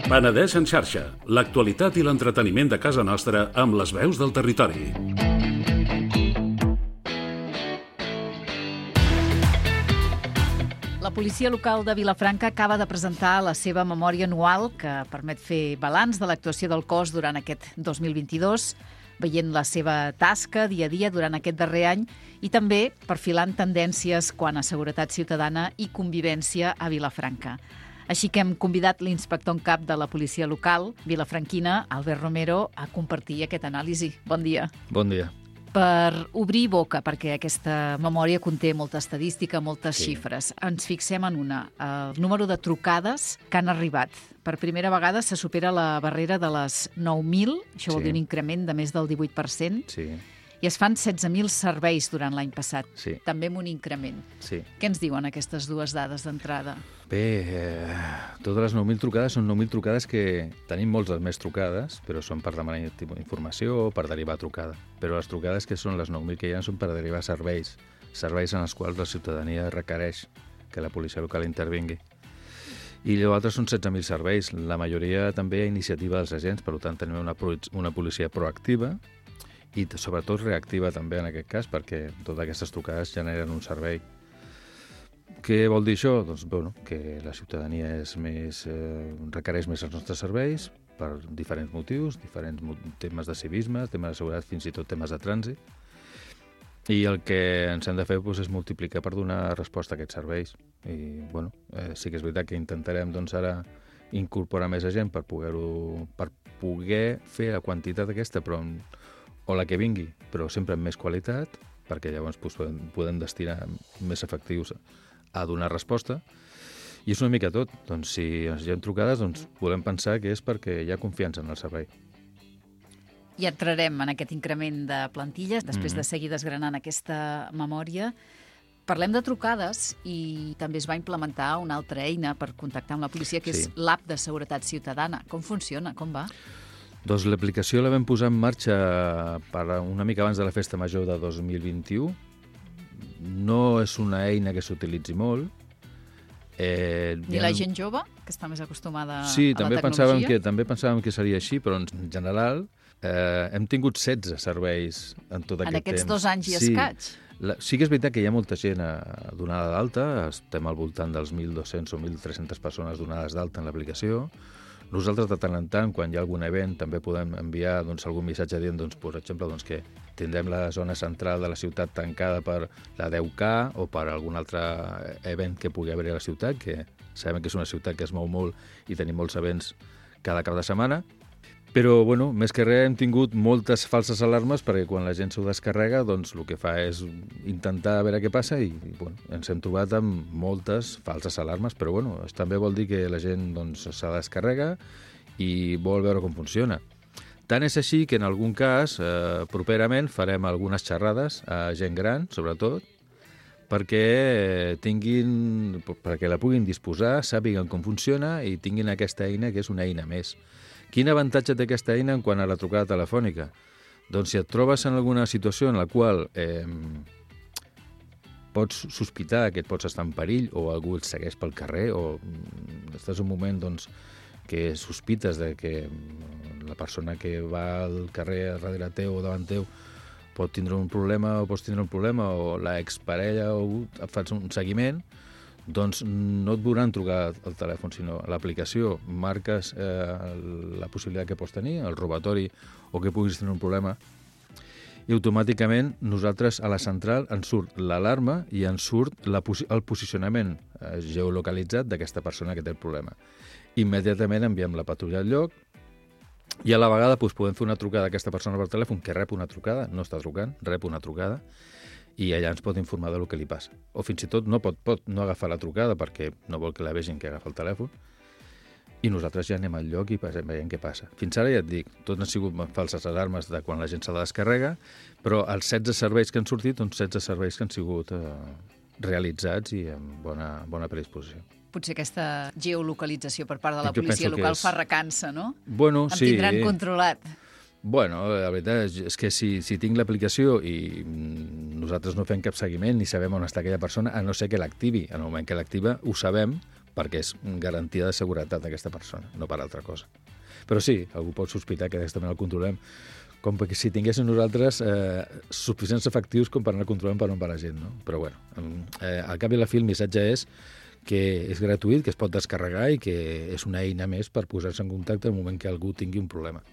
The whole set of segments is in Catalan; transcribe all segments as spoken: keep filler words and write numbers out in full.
Penedès en xarxa, l'actualitat i l'entreteniment de casa nostra amb les veus del territori. La policia local de Vilafranca acaba de presentar la seva memòria anual que permet fer balanç de l'actuació del cos durant aquest dos mil vint-i-dos, veient la seva tasca dia a dia durant aquest darrer any i també perfilant tendències quant a seguretat ciutadana i convivència a Vilafranca. Així que hem convidat l'inspector en cap de la policia local, vilafranquina, Albert Romero, a compartir aquest anàlisi. Bon dia. Bon dia. Per obrir boca, perquè aquesta memòria conté molta estadística, moltes Sí. xifres, ens fixem en una, el número de trucades que han arribat. Per primera vegada se supera la barrera de les nou mil, això vol Sí. dir un increment de més del divuit per cent, Sí, i es fan setze mil serveis durant l'any passat, sí, també amb un increment. sí. Què ens diuen aquestes dues dades d'entrada? Bé, eh, totes les nou mil trucades són nou mil trucades que tenim moltes més trucades, però són per demanar informació o per derivar trucada. Però les trucades que són les nou mil que hi ha són per derivar serveis, serveis en els quals la ciutadania requereix que la policia local intervingui. I llavors són setze mil serveis, la majoria també a iniciativa dels agents, per tant tenim una, una policia proactiva i sobretot reactiva també en aquest cas, perquè totes aquestes trucades generen un servei. Què vol dir això? Doncs bueno, que la ciutadania és més, eh, requereix més els nostres serveis per diferents motius, diferents temes de civisme, temes de seguretat, fins i tot temes de trànsit. I el que ens hem de fer doncs, és multiplicar per donar resposta a aquests serveis. I bueno, eh, sí que és veritat que intentarem doncs, ara incorporar més gent per poder-ho, per poder fer la quantitat aquesta, però amb, o la que vingui, però sempre amb més qualitat, perquè llavors doncs, podem, podem destinar més efectius a donar resposta. I és una mica tot. Doncs, si ens hi ha trucades, doncs, volem pensar que és perquè hi ha confiança en el servei. I entrarem en aquest increment de plantilles, després Mhm. de seguir desgranant aquesta memòria. Parlem de trucades i també es va implementar una altra eina per contactar amb la policia, que Sí. és l'app de seguretat ciutadana. Com funciona? Com va? Doncs l'aplicació la vam posar en marxa per una mica abans de la Festa Major de dos mil vint-i-u. No és una eina que s'utilitzi molt. Eh, Ni la gent jove, que està més acostumada sí, a la també tecnologia? pensàvem que també pensàvem que seria així, però en general eh, hem tingut setze serveis en tot En aquest aquests temps. dos anys i sí. escaig? La, sí que és veritat que hi ha molta gent a, donada d'alta, estem al voltant dels mil dos-cents o mil tres-centes persones donades d'alta en l'aplicació. Nosaltres, de tant en tant, quan hi ha algun event, també podem enviar doncs, algun missatge dient, doncs, per exemple, doncs, que tindrem la zona central de la ciutat tancada per la deu K o per algun altre event que pugui haver a la ciutat, que sabem que és una ciutat que es mou molt i tenim molts events cada cap de setmana. Però, bueno, més que res hem tingut moltes falses alarmes perquè quan la gent s'ho descarrega, doncs el que fa és intentar veure què passa i, bueno, ens hem trobat amb moltes falses alarmes, però, bueno, també vol dir que la gent doncs, se descarrega i vol veure com funciona. Tant és així que en algun cas, eh, properament, farem algunes xerrades a gent gran, sobretot, perquè tinguin, perquè la puguin disposar, sàpiguen com funciona i tinguin aquesta eina que és una eina més. Quin avantatge té aquesta eina en quant a la trucada telefònica? Doncs si et trobes en alguna situació en la qual eh, pots sospitar que et pots estar en perill o algú et segueix pel carrer o estàs en un moment doncs, que sospites de que la persona que va al carrer darrere teu o davant teu pot tindre un problema o pots tindre un problema o la exparella o et fas un seguiment, doncs no et veuran trucar al telèfon, sinó a l'aplicació marques eh, la possibilitat que pots tenir, el robatori o que puguis tenir un problema, i automàticament nosaltres a la central ens surt l'alarma i ens surt la, el posicionament eh, geolocalitzat d'aquesta persona que té el problema. Immediatament enviem la patrulla al lloc i a la vegada doncs, podem fer una trucada a aquesta persona per telèfon que rep una trucada, no està trucant, rep una trucada, i allà ens pot informar del que li passa. O fins i tot no pot, pot no agafar la trucada perquè no vol que la vegin que agafa el telèfon i nosaltres ja anem al lloc i veiem què passa. Fins ara ja et dic, tot han sigut falses alarmes de quan la gent se la descarrega, però els setze serveis que han sortit són setze serveis que han sigut eh, realitzats i amb bona, bona predisposició. Potser aquesta geolocalització per part de la Jo policia penso que local és- fa recança, no? Bueno, Em sí. tindran controlat. Bueno, la veritat és, és que si, si tinc l'aplicació i nosaltres no fem cap seguiment ni sabem on està aquella persona, a no ser que l'activi. En el moment que l'activa ho sabem perquè és garantia de seguretat d'aquesta persona, no per altra cosa. Però sí, algú pot sospitar que directament el controlem, com que si tinguéssim nosaltres eh, suficients efectius com per anar controlant per on va la gent, no? Però bueno, eh, al cap i a la fi el missatge és que és gratuït, que es pot descarregar i que és una eina més per posar-se en contacte en el moment que algú tingui un problema.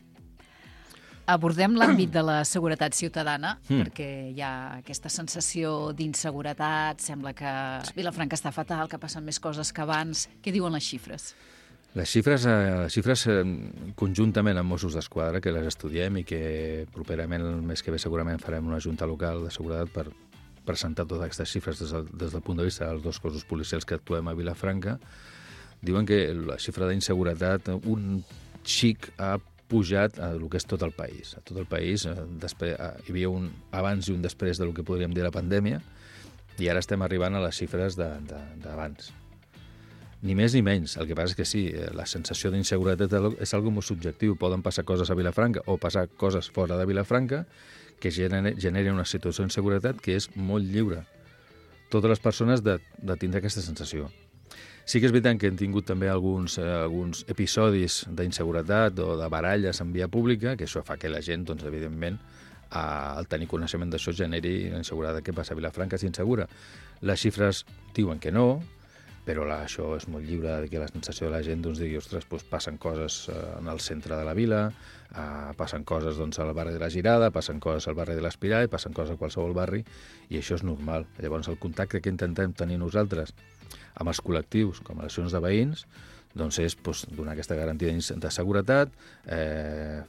Abordem l'àmbit de la seguretat ciutadana, mm. perquè hi ha aquesta sensació d'inseguretat, sembla que Vilafranca està fatal, que passen més coses que abans. Què diuen les xifres? Les xifres, eh, les xifres eh, conjuntament amb Mossos d'Esquadra, que les estudiem i que properament, el mes que ve, segurament farem una junta local de seguretat per presentar totes aquestes xifres des del, des del punt de vista dels dos cossos policials que actuem a Vilafranca, diuen que la xifra d'inseguretat un xic ha pujat a el que és tot el país. A tot el país després, hi havia un abans i un després del que podríem dir la pandèmia i ara estem arribant a les xifres d'abans. Ni més ni menys. El que passa és que sí, la sensació d'inseguretat és algo molt subjectiu. Poden passar coses a Vilafranca o passar coses fora de Vilafranca que generen una situació d'inseguretat que és molt lliure. Totes les persones de, de tindre aquesta sensació. Sí que és veritat que hem tingut també alguns, eh, alguns episodis d'inseguretat o de baralles en via pública, que això fa que la gent, doncs, evidentment, eh, al tenir coneixement d'això, generi la inseguretat que passa a Vilafranca és insegura. Les xifres diuen que no, però la, això és molt lliure de que la sensació de la gent doncs, digui, ostres, doncs, passen coses eh, en el centre de la vila, eh, passen coses doncs, al barri de la Girada, passen coses al barri de l'Espirall, passen coses a qualsevol barri, i això és normal. Llavors, el contacte que intentem tenir nosaltres amb els col·lectius, com a relacions de veïns, doncs és doncs, donar aquesta garantia de seguretat, eh,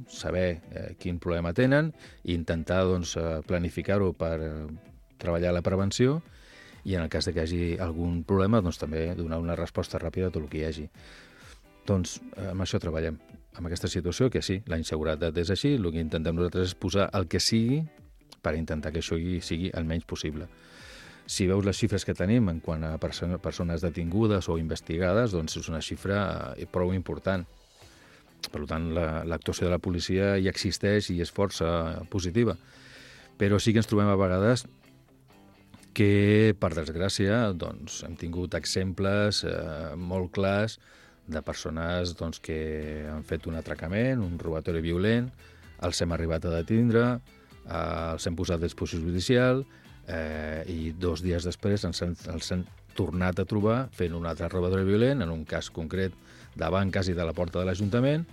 saber eh, quin problema tenen i intentar doncs, planificar-ho per treballar la prevenció i en el cas de que hi hagi algun problema doncs, també donar una resposta ràpida a tot el que hi hagi. Doncs amb això treballem, amb aquesta situació que sí, la inseguretat és així, el que intentem nosaltres és posar el que sigui per intentar que això sigui el menys possible. Si veus les xifres que tenim en quant a persones detingudes o investigades, doncs és una xifra prou important. Per tant, l'actuació de la policia hi existeix i és força positiva. Però sí que ens trobem a vegades que, per desgràcia, doncs, hem tingut exemples eh, molt clars de persones doncs, que han fet un atracament, un robatori violent, els hem arribat a detindre, eh, els hem posat a disposició judicial, Eh, i dos dies després ens han, els han tornat a trobar fent un altre robatori violent, en un cas concret davant quasi de la porta de l'Ajuntament,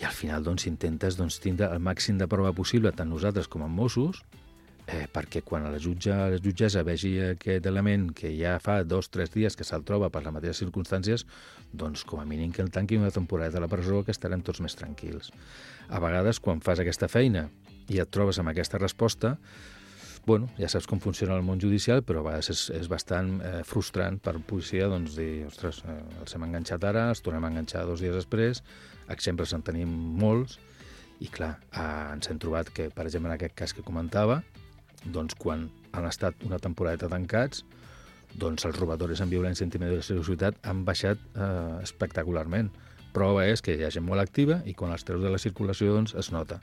i al final doncs, intentes doncs, tindre el màxim de prova possible, tant nosaltres com amb Mossos, eh, perquè quan la, jutge, la jutgessa vegi aquest element que ja fa dos o tres dies que se'l troba per les mateixes circumstàncies, doncs com a mínim que el tanqui una temporada a la presó, que estarem tots més tranquils. A vegades, quan fas aquesta feina i et trobes amb aquesta resposta, bueno, ja saps com funciona el món judicial, però a vegades és, és bastant eh, frustrant per policia doncs, dir, ostres, eh, els hem enganxat ara, els tornem a enganxar dos dies després, exemples en tenim molts, i clar, eh, ens hem trobat que, per exemple, en aquest cas que comentava, doncs quan han estat una temporada tancats, doncs els robatoris amb violència i intimidació de la ciutat han baixat eh, espectacularment. Prova és que hi ha gent molt activa i quan els treus de la circulació doncs, es nota.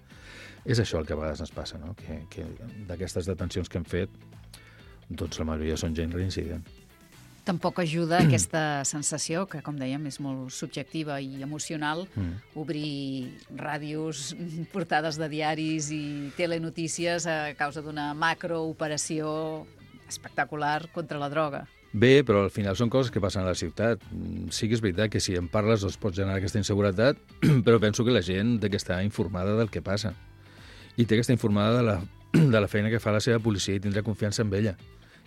És això el que a vegades ens passa, no? que, que d'aquestes detencions que hem fet, doncs la majoria són gent reincident. Tampoc ajuda aquesta sensació, que com dèiem és molt subjectiva i emocional, mm. obrir ràdios, portades de diaris i telenotícies a causa d'una macrooperació espectacular contra la droga. Bé, però al final són coses que passen a la ciutat. Sí que és veritat que si en parles doncs pots generar aquesta inseguretat, però penso que la gent té que estar informada del que passa. I té que estar informada de la, de la feina que fa la seva policia i tindrà confiança en ella.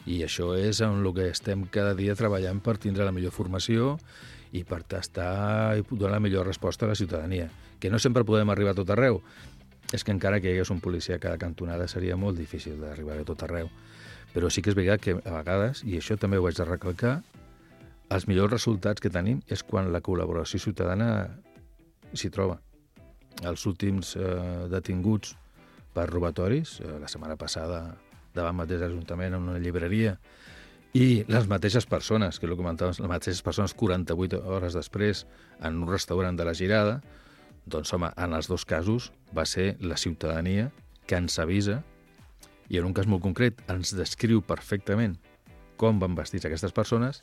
I això és en el que estem cada dia treballant per tindre la millor formació i per tastar i donar la millor resposta a la ciutadania. Que no sempre podem arribar a tot arreu. És que encara que hi hagués un policia a cada cantonada seria molt difícil d'arribar a tot arreu. Però sí que és veritat que a vegades, i això també ho haig de recalcar, els millors resultats que tenim és quan la col·laboració ciutadana s'hi troba. Els últims eh, detinguts per robatoris, eh, la setmana passada davant mateix l'Ajuntament en una llibreria, i les mateixes persones, que ho comentaves, les mateixes persones quaranta-vuit hores després en un restaurant de la Girada, Doncs, home, en els dos casos va ser la ciutadania que ens avisa i en un cas molt concret ens descriu perfectament com van vestits aquestes persones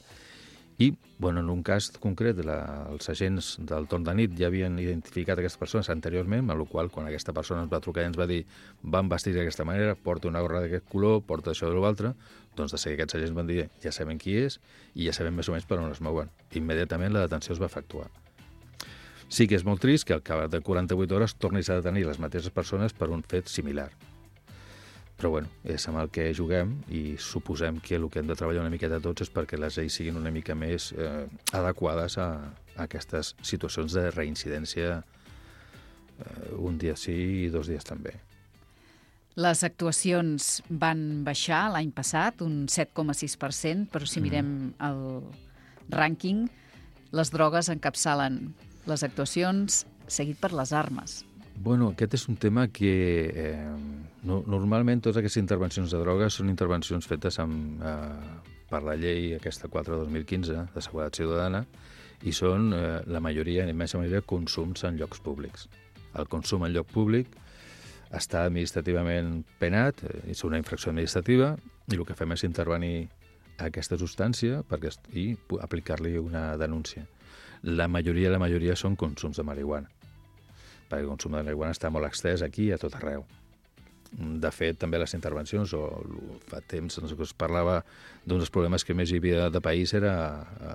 i, bueno, en un cas concret la, els agents del torn de nit ja havien identificat aquestes persones anteriorment, amb la qual cosa, quan aquesta persona ens va trucar i ens va dir van vestir d'aquesta manera, porta una gorra d'aquest color, porta això o l'altre, doncs de seguida aquests agents van dir ja sabem qui és i ja sabem més o menys per on es mouen. Immediatament la detenció es va efectuar. Sí que és molt trist que al cap de quaranta-vuit hores tornis a detenir les mateixes persones per un fet similar. Però bueno, és amb el que juguem i suposem que el que hem de treballar una miqueta tots és perquè les lleis siguin una mica més eh, adequades a, a aquestes situacions de reincidència eh, un dia sí i dos dies també. Les actuacions van baixar l'any passat, un set coma sis per cent, però si mirem el rànquing, les drogues encapçalen les actuacions, seguit per les armes. Bueno, aquest és un tema que eh, no, normalment totes aquestes intervencions de drogues són intervencions fetes amb, eh, per la llei aquesta quatre dos mil quinze de Seguretat Ciutadana i són eh, la majoria, la immensa majoria, consums en llocs públics. El consum en lloc públic està administrativament penat, eh, és una infracció administrativa i el que fem és intervenir aquesta substància perquè, i aplicar-li una denúncia. La majoria, la majoria són consums de marihuana, perquè el consum de marihuana està molt extès aquí i a tot arreu. De fet, també les intervencions, o fa temps no sé, es parlava d'un dels problemes que més hi havia de país era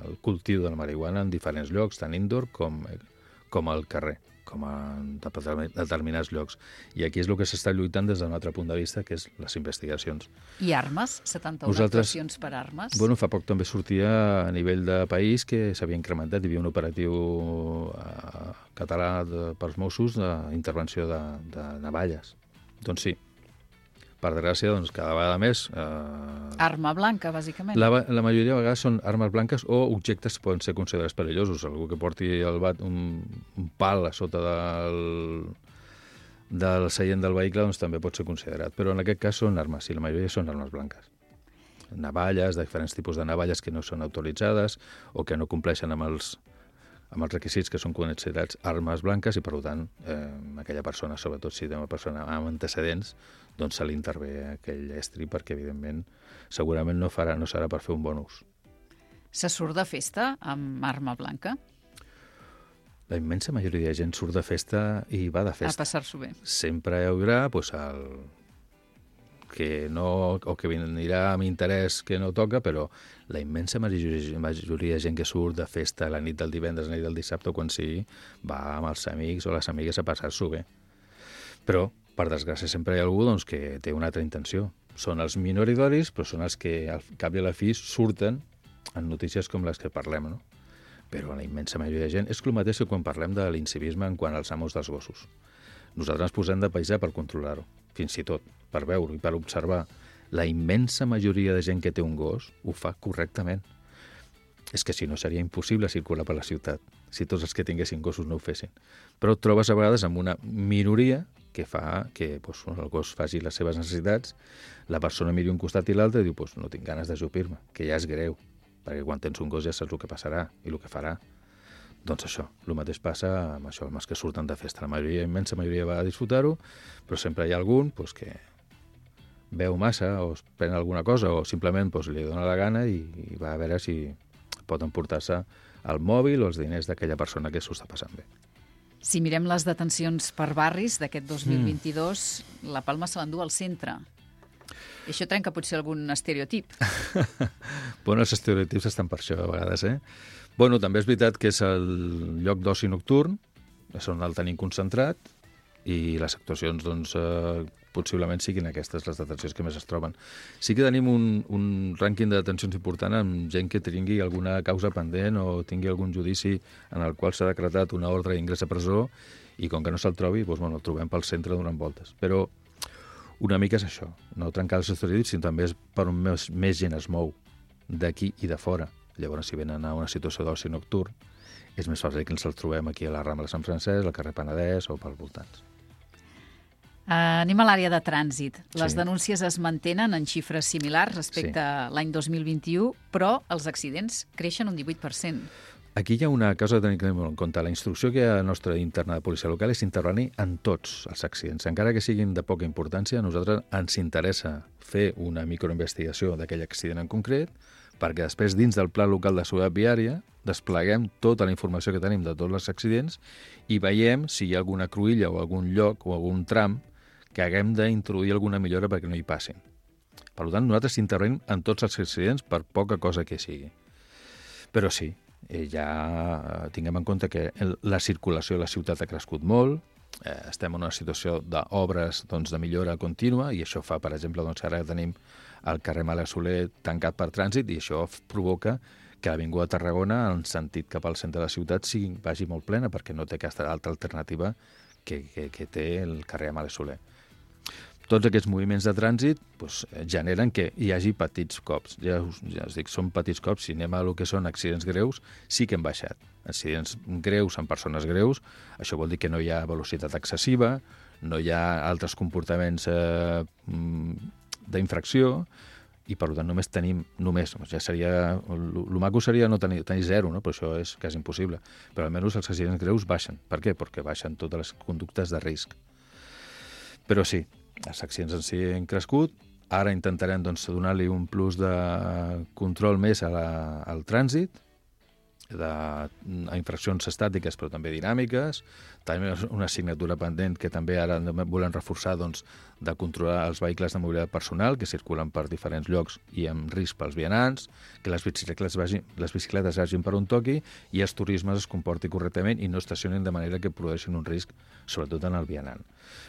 el cultiu de la marihuana en diferents llocs, tant indoor com, com al carrer, com en determinats llocs. I aquí és el que s'està lluitant des d'un altre punt de vista, que és les investigacions. I armes? setanta-una Vosaltres, actuacions per armes? Bueno, fa poc també sortia a nivell de país que s'havia incrementat. Hi havia un operatiu eh, català de, pels Mossos d'intervenció de, de navalles. Doncs sí, per desgràcia, doncs, cada vegada més... Eh, Arma blanca, bàsicament. La, la majoria de vegades són armes blanques o objectes que poden ser considerats perillosos. Algú que porti el bat, un, un pal a sota del, del seient del vehicle doncs, també pot ser considerat. Però en aquest cas són armes, i la majoria són armes blanques. Navalles, de diferents tipus de navalles que no són autoritzades o que no compleixen amb els, amb els requisits que són considerats armes blanques i, per tant, eh, aquella persona, sobretot si és una persona amb antecedents, doncs se li intervé aquell estri perquè, evidentment, segurament no farà, no serà per fer un bon ús. Se surt de festa amb arma blanca? La immensa majoria de gent surt de festa i va de festa. A passar-s'ho bé. Sempre hi haurà pues, el que no, o que anirà amb interès que no toca, però la immensa majoria, majoria de gent que surt de festa la nit del divendres, la nit del dissabte, quan sigui, va amb els amics o les amigues a passar-s'ho bé. Però, per desgràcia, sempre hi ha algú doncs, que té una altra intenció. Són els minoridoris, però són els que al cap i a la fi surten en notícies com les que parlem, no? Però la immensa majoria de gent és el mateix que quan parlem de l'incivisme en quant als amos dels gossos. Nosaltres ens posem de paisà per controlar-ho, fins i tot, per veure i per observar. La immensa majoria de gent que té un gos ho fa correctament. És que si no seria impossible circular per la ciutat, si tots els que tinguessin gossos no ho fessin. Però et trobes a vegades amb una minoria que fa que doncs, el gos faci les seves necessitats, la persona miri un costat i l'altre i diu doncs, no tinc ganes d'ajupir-me, que ja és greu, perquè quan tens un gos ja saps el que passarà i el que farà. Doncs això, el mateix passa amb això, amb els que surten de festa. La majoria, immensa majoria va a disfrutar-ho, però sempre hi ha algun doncs, que veu massa o es pren alguna cosa o simplement doncs, li dona la gana i, i va a veure si pot emportar-se el mòbil o els diners d'aquella persona que s'ho està passant bé. Si mirem les detencions per barris d'aquest dos mil vint-i-dos, mm. la Palma se l'endú al centre. I això trenca potser algun estereotip. Bueno, els estereotips estan per això, a vegades, eh? Bueno, també és veritat que és el lloc d'oci nocturn, és on el tenim concentrat, i les actuacions, doncs, eh, possiblement siguin aquestes les detencions que més es troben. Sí que tenim un, un rànquing de detencions important amb gent que tingui alguna causa pendent o tingui algun judici en el qual s'ha decretat una ordre d'ingrés a presó i com que no se'l trobi, doncs, bueno, el trobem pel centre donant voltes. Però una mica és això, no trencar els estereotips, sinó també és per on més, més gent es mou, d'aquí i de fora. Llavors, si venen a una situació d'oci nocturn, és més fàcil que ens el trobem aquí a la Rambla de Sant Francesc, al carrer Penedès o pels voltants. Uh, anem a l'àrea de trànsit. Les Sí. denúncies es mantenen en xifres similars respecte Sí. a l'any dos mil vint-i-u, però els accidents creixen un divuit per cent. Aquí hi ha una cosa a tenir en compte. La instrucció que hi ha a la nostra interna de policia local és intervenir en tots els accidents. Encara que siguin de poca importància, a nosaltres ens interessa fer una microinvestigació d'aquell accident en concret, perquè després, dins del Pla Local de Seguretat Viària, despleguem tota la informació que tenim de tots els accidents i veiem si hi ha alguna cruïlla o algun lloc o algun tram que haguem d'introduir alguna millora perquè no hi passin. Per tant, nosaltres intervenim en tots els accidents per poca cosa que sigui. Però sí, ja tinguem en compte que la circulació a la ciutat ha crescut molt, eh, estem en una situació d'obres doncs, de millora contínua i això fa, per exemple, doncs, ara tenim el carrer Mala Soler tancat per trànsit i això provoca que l'Avinguda Tarragona, en sentit cap al centre de la ciutat, sigui, vagi molt plena perquè no té aquesta altra alternativa que, que, que té el carrer Mala Soler. Tots aquests moviments de trànsit doncs, generen que hi hagi petits cops. Ja us, ja us dic, són petits cops. Si anem a el que són accidents greus, sí que hem baixat. Accidents greus amb persones greus, això vol dir que no hi ha velocitat excessiva, no hi ha altres comportaments eh, d'infracció, i per tant només tenim, només, ja seria, el maco seria no tenir, tenir zero, no? Però això és quasi impossible. Però almenys els accidents greus baixen. Per què? Perquè baixen totes les conductes de risc. Però sí, els accidents en si han crescut. Ara intentarem doncs, donar-li un plus de control més a la, al trànsit, de, a infraccions estàtiques però també dinàmiques. També una assignatura pendent que també ara volem reforçar doncs, de controlar els vehicles de mobilitat personal que circulen per diferents llocs i amb risc pels vianants, que les bicicletes vagin, les bicicletes vagin per on toqui i els turismes es comportin correctament i no estacionin de manera que produeixin un risc, sobretot en el vianant.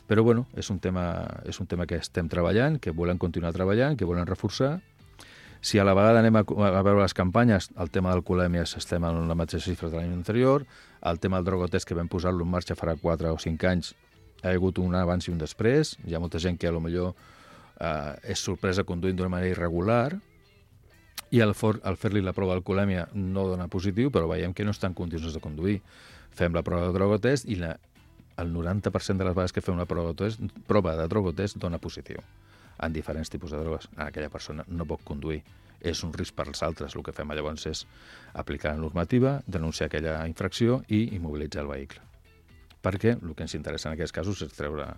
Però bueno, és un tema, és un tema que estem treballant, que volem continuar treballant, que volem reforçar. Si a la vegada anem a, a veure les campanyes, el tema d'alcoholèmies estem en la mateixa xifra de l'any anterior, el tema del drogotest que vam posar-lo en marxa farà quatre o cinc anys ha hagut un abans i un després. Hi ha molta gent que potser eh, és sorpresa conduint d'una manera irregular i al, for, al fer-li la prova d'alcoholèmia no dona positiu, però veiem que no estan en condicions de conduir. Fem la prova de drogotest i la, el noranta per cent de les vegades que fem una prova de drogotest, prova de drogotest dona positiu en diferents tipus de drogues. Aquella persona no pot conduir. És un risc per als altres. El que fem llavors és aplicar la normativa, denunciar aquella infracció i immobilitzar el vehicle. Perquè el que ens interessa en aquests casos és treure...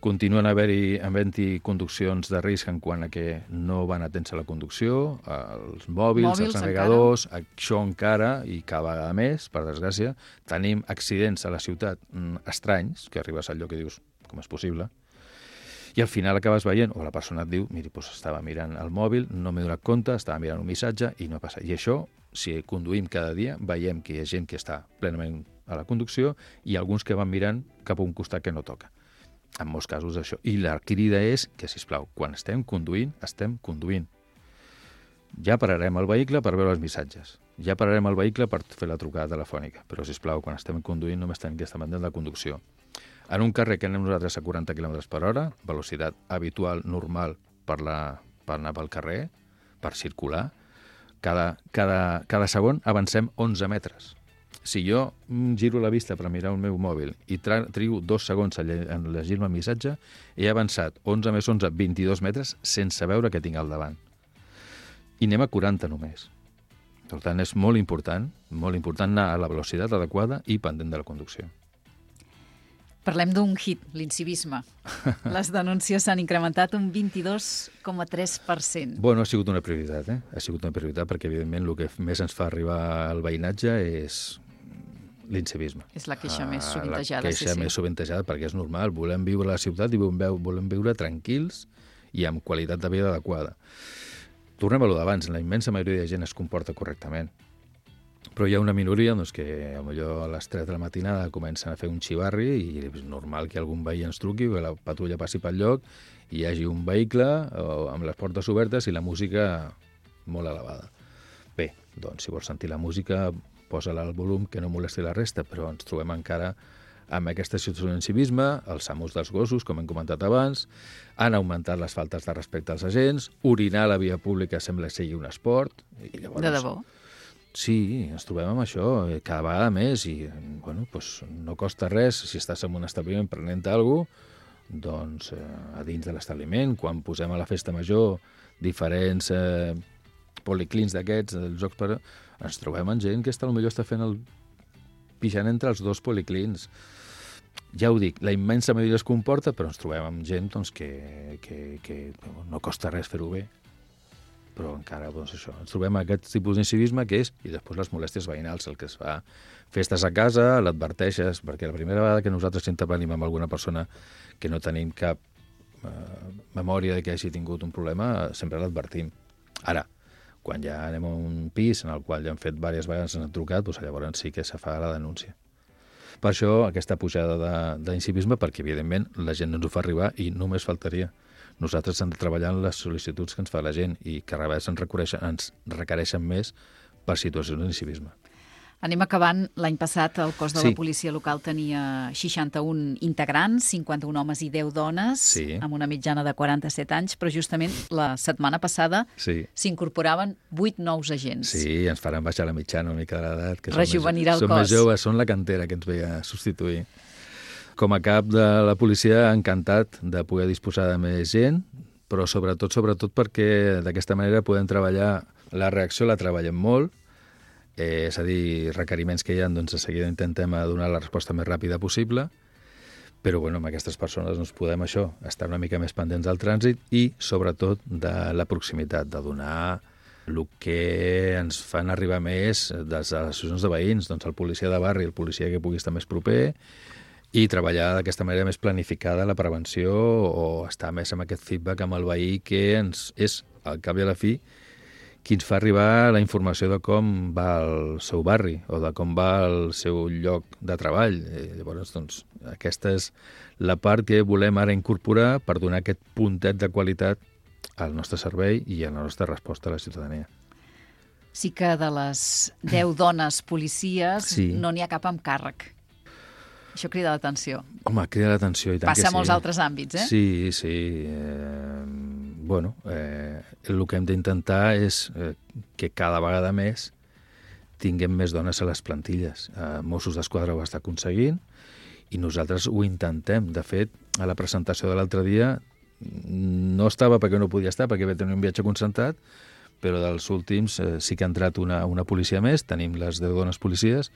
Continuen haver-hi havent-hi conduccions de risc en quant a que no van atents a la conducció, els mòbils, mòbils els navegadors, encara. Això encara, i cada vegada més, per desgràcia, tenim accidents a la ciutat estranys, que arribes al lloc i dius, com és possible? I al final acabes veient, o la persona et diu, miri, doncs estava mirant el mòbil, no m'he donat compte, estava mirant un missatge i no passa. I això, si conduïm cada dia, veiem que hi ha gent que està plenament a la conducció i alguns que van mirant cap a un costat que no toca. En molts casos això. I la crida és que, sisplau, quan estem conduint, estem conduint. Ja pararem el vehicle per veure els missatges. Ja pararem el vehicle per fer la trucada telefònica. Però, sisplau, quan estem conduint només tenim que estar pendent de la conducció. En un carrer que anem nosaltres a quaranta quilòmetres per hora, velocitat habitual, normal, per, la, per anar pel carrer, per circular, cada, cada, cada segon avancem onze metres. Si jo giro la vista per mirar el meu mòbil i trigo dos segons en llegir-me el missatge, he avançat onze més onze, vint-i-dos metres sense veure què tinc al davant. I anem a quaranta només. Per tant, és molt important, molt important anar a la velocitat adequada i pendent de la conducció. Parlem d'un hit, l'incivisme. Les denúncies s'han incrementat un vint-i-dos coma tres per cent. Bueno, ha sigut una prioritat, eh? Ha sigut una prioritat perquè, evidentment, el que més ens fa arribar al veïnatge és l'incivisme. És la queixa més sovintejada. La queixa sí, sí. més sovintejada perquè és normal. Volem viure a la ciutat i volem viure tranquils i amb qualitat de vida adequada. Tornem a lo d'abans. La immensa majoria de gent es comporta correctament. Però hi ha una minoria doncs, que potser a les tres de la matinada comencen a fer un xivarri i és normal que algun veí ens truqui, que la patrulla passi pel lloc i hi hagi un vehicle amb les portes obertes i la música molt elevada. Bé, doncs si vols sentir la música, posa-la al volum que no molesti la resta, però ens trobem encara amb aquesta situació d'incivisme, els amos dels gossos, com hem comentat abans, han augmentat les faltes de respecte als agents, orinar a la via pública sembla que sigui un esport. I llavors, de debò? Sí, ens trobem amb això cada vegada més i bueno, doncs no costa res si estàs en un establiment prenent alguna cosa, doncs eh, a dins de l'establiment, quan posem a la festa major diferents eh, policlins d'aquests, dels jocs per... ens trobem amb gent que està, potser està fent el pixant entre els dos policlins. Ja ho dic, la immensa majoria es comporta, però ens trobem amb gent doncs, que, que, que no costa res fer-ho bé. Però encara, doncs això, ens trobem aquest tipus d'incivisme que és, i després les molèsties veïnals, el que es fa festes a casa, l'adverteixes, perquè la primera vegada que nosaltres intervenim amb alguna persona que no tenim cap eh, memòria de que hagi tingut un problema, sempre l'advertim. Ara, quan ja anem a un pis en el qual ja han fet diverses vegades, ens han trucat, doncs llavors sí que se fa la denúncia. Per això, aquesta pujada d'incivisme, perquè evidentment la gent no ens ho fa arribar i només faltaria. Nosaltres hem de treballar en les sol·licituds que ens fa la gent i que a vegades ens, ens requereixen més per situacions d'incivisme. Anem acabant. L'any passat el cos de Sí. la policia local tenia seixanta-un integrants, cinquanta-un homes i deu dones, Sí. amb una mitjana de quaranta-set anys, però justament la setmana passada Sí. s'incorporaven vuit nous agents. Sí, ens faran baixar la mitjana una mica de l'edat. que són Rejovenirà més, el són cos. més joves, són la cantera que ens ve a substituir. Com a cap de la policia, encantat de poder disposar de més gent, però sobretot, sobretot perquè d'aquesta manera podem treballar, la reacció la treballem molt, eh, és a dir, requeriments que hi ha, doncs de seguida intentem donar la resposta més ràpida possible, però bueno, amb aquestes persones doncs, podem això, estar una mica més pendents del trànsit i sobretot de la proximitat, de donar el que ens fan arribar més des de les associacions de veïns, doncs el policia de barri, el policia que pugui estar més proper, i treballar d'aquesta manera més planificada la prevenció o estar més amb aquest feedback amb el veí que ens és, al cap i a la fi, qui ens fa arribar la informació de com va el seu barri o de com va el seu lloc de treball. I llavors, doncs, aquesta és la part que volem ara incorporar per donar aquest puntet de qualitat al nostre servei i a la nostra resposta a la ciutadania. Sí que de les deu dones policies Sí. no n'hi ha cap amb càrrec. Això crida l'atenció. Home, crida l'atenció i tant Passa que a sí. molts altres àmbits, eh? Sí, sí. Eh, bueno, eh, el que hem d'intentar és eh, que cada vegada més tinguem més dones a les plantilles. Eh, Mossos d'Esquadra ho està aconseguint i nosaltres ho intentem. De fet, a la presentació de l'altre dia no estava perquè no podia estar, perquè va tenir un viatge concentrat, però dels últims eh, sí que ha entrat una, una policia més, tenim les deu dones policies,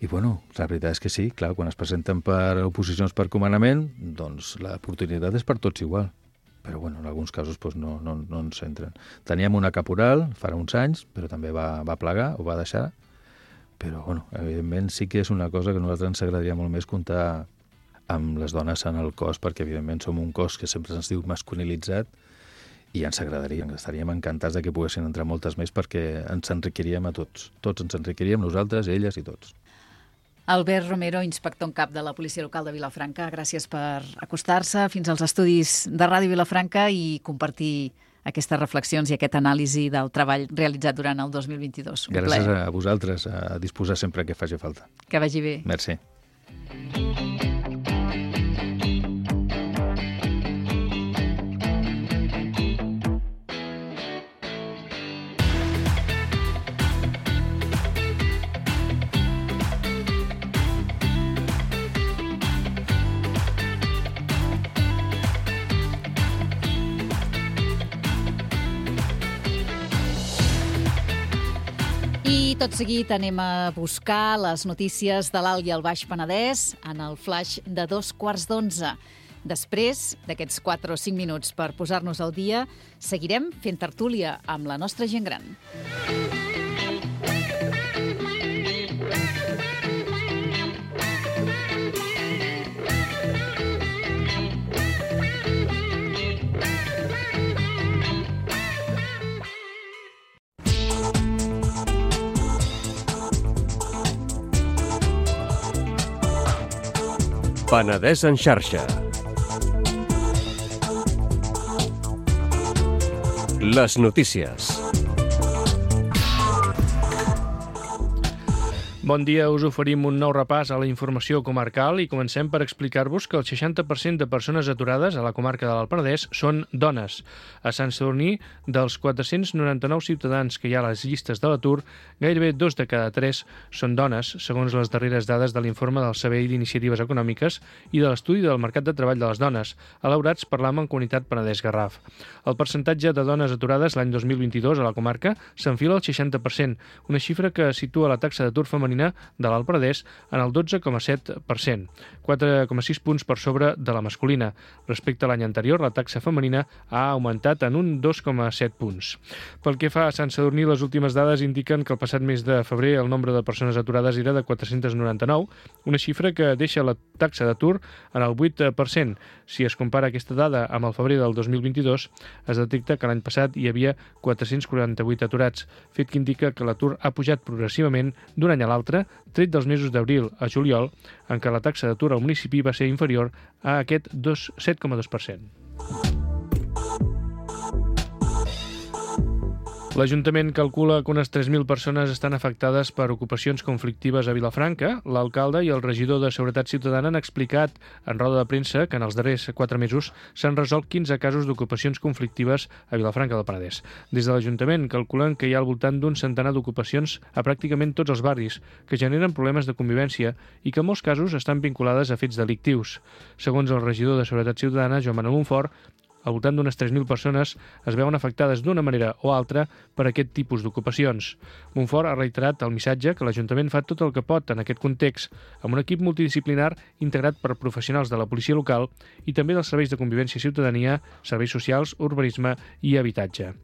i bueno, la veritat és que sí, clar, quan es presenten per oposicions per comandament, doncs l'oportunitat és per tots igual. Però bueno, en alguns casos doncs, no, no, no ens entren. Teníem una caporal farà uns anys, però també va, va plegar, ho va deixar, però bueno, evidentment sí que és una cosa que a nosaltres ens agradaria molt més comptar amb les dones en el cos, perquè evidentment som un cos que sempre ens diu masculinitzat i ens agradaria, estaríem encantats de que poguessin entrar moltes més perquè ens enriquiríem a tots. Tots ens enriquiríem, nosaltres, elles i tots. Albert Romero, inspector en cap de la Policia Local de Vilafranca, gràcies per acostar-se fins als estudis de Ràdio Vilafranca i compartir aquestes reflexions i aquest anàlisi del treball realitzat durant el dos mil vint-i-dos. Un Gràcies plaer. a vosaltres, a disposar sempre que faci falta. Que vagi bé. Merci. I tot seguit anem a buscar les notícies de l'Alt i el Baix Penedès en el flash de dos quarts d'onze. Després d'aquests quatre o cinc minuts per posar-nos al dia, seguirem fent tertúlia amb la nostra gent gran. Penedès en xarxa. Les notícies. Bon dia, us oferim un nou repàs a la informació comarcal i comencem per explicar-vos que el seixanta per cent de persones aturades a la comarca de l'Alt Penedès són dones. A Sant Sadurní, dels quatre-cents noranta-nou ciutadans que hi ha a les llistes de l'atur, gairebé dos de cada tres són dones, segons les darreres dades de l'informe del Servei d'Iniciatives Econòmiques i de l'Estudi del Mercat de Treball de les Dones, elaborats per la Mancomunitat Penedès-Garraf. El percentatge de dones aturades l'any dos mil vint-i-dos a la comarca s'enfila al seixanta per cent, una xifra que situa la taxa d'atur femenina de l'Alt Penedès en el dotze coma set per cent, quatre coma sis punts per sobre de la masculina. Respecte a l'any anterior, la taxa femenina ha augmentat en un dos coma set punts. Pel que fa a Sant Sadurní, les últimes dades indiquen que el passat mes de febrer el nombre de persones aturades era de quatre-cents noranta-nou, una xifra que deixa la taxa d'atur en el vuit per cent. Si es compara aquesta dada amb el febrer del dos mil vint-i-dos, es detecta que l'any passat hi havia quatre-cents quaranta-vuit aturats, fet que indica que l'atur ha pujat progressivament d'un any a l'altre, tret dels mesos d'abril a juliol, en què la taxa d'atur al municipi va ser inferior a aquest set coma dos per cent. L'Ajuntament calcula que unes tres mil persones estan afectades per ocupacions conflictives a Vilafranca. L'alcalde i el regidor de Seguretat Ciutadana han explicat en roda de premsa que en els darrers quatre mesos s'han resolt quinze casos d'ocupacions conflictives a Vilafranca del Penedès. Des de l'Ajuntament calculen que hi ha al voltant d'un centenar d'ocupacions a pràcticament tots els barris, que generen problemes de convivència i que en molts casos estan vinculades a fets delictius. Segons el regidor de Seguretat Ciutadana, Joan Manuel Monfort, al voltant d'unes tres mil persones es veuen afectades d'una manera o altra per aquest tipus d'ocupacions. Monfort ha reiterat el missatge que l'Ajuntament fa tot el que pot en aquest context, amb un equip multidisciplinar integrat per professionals de la policia local i també dels serveis de convivència i ciutadania, serveis socials, urbanisme i habitatge.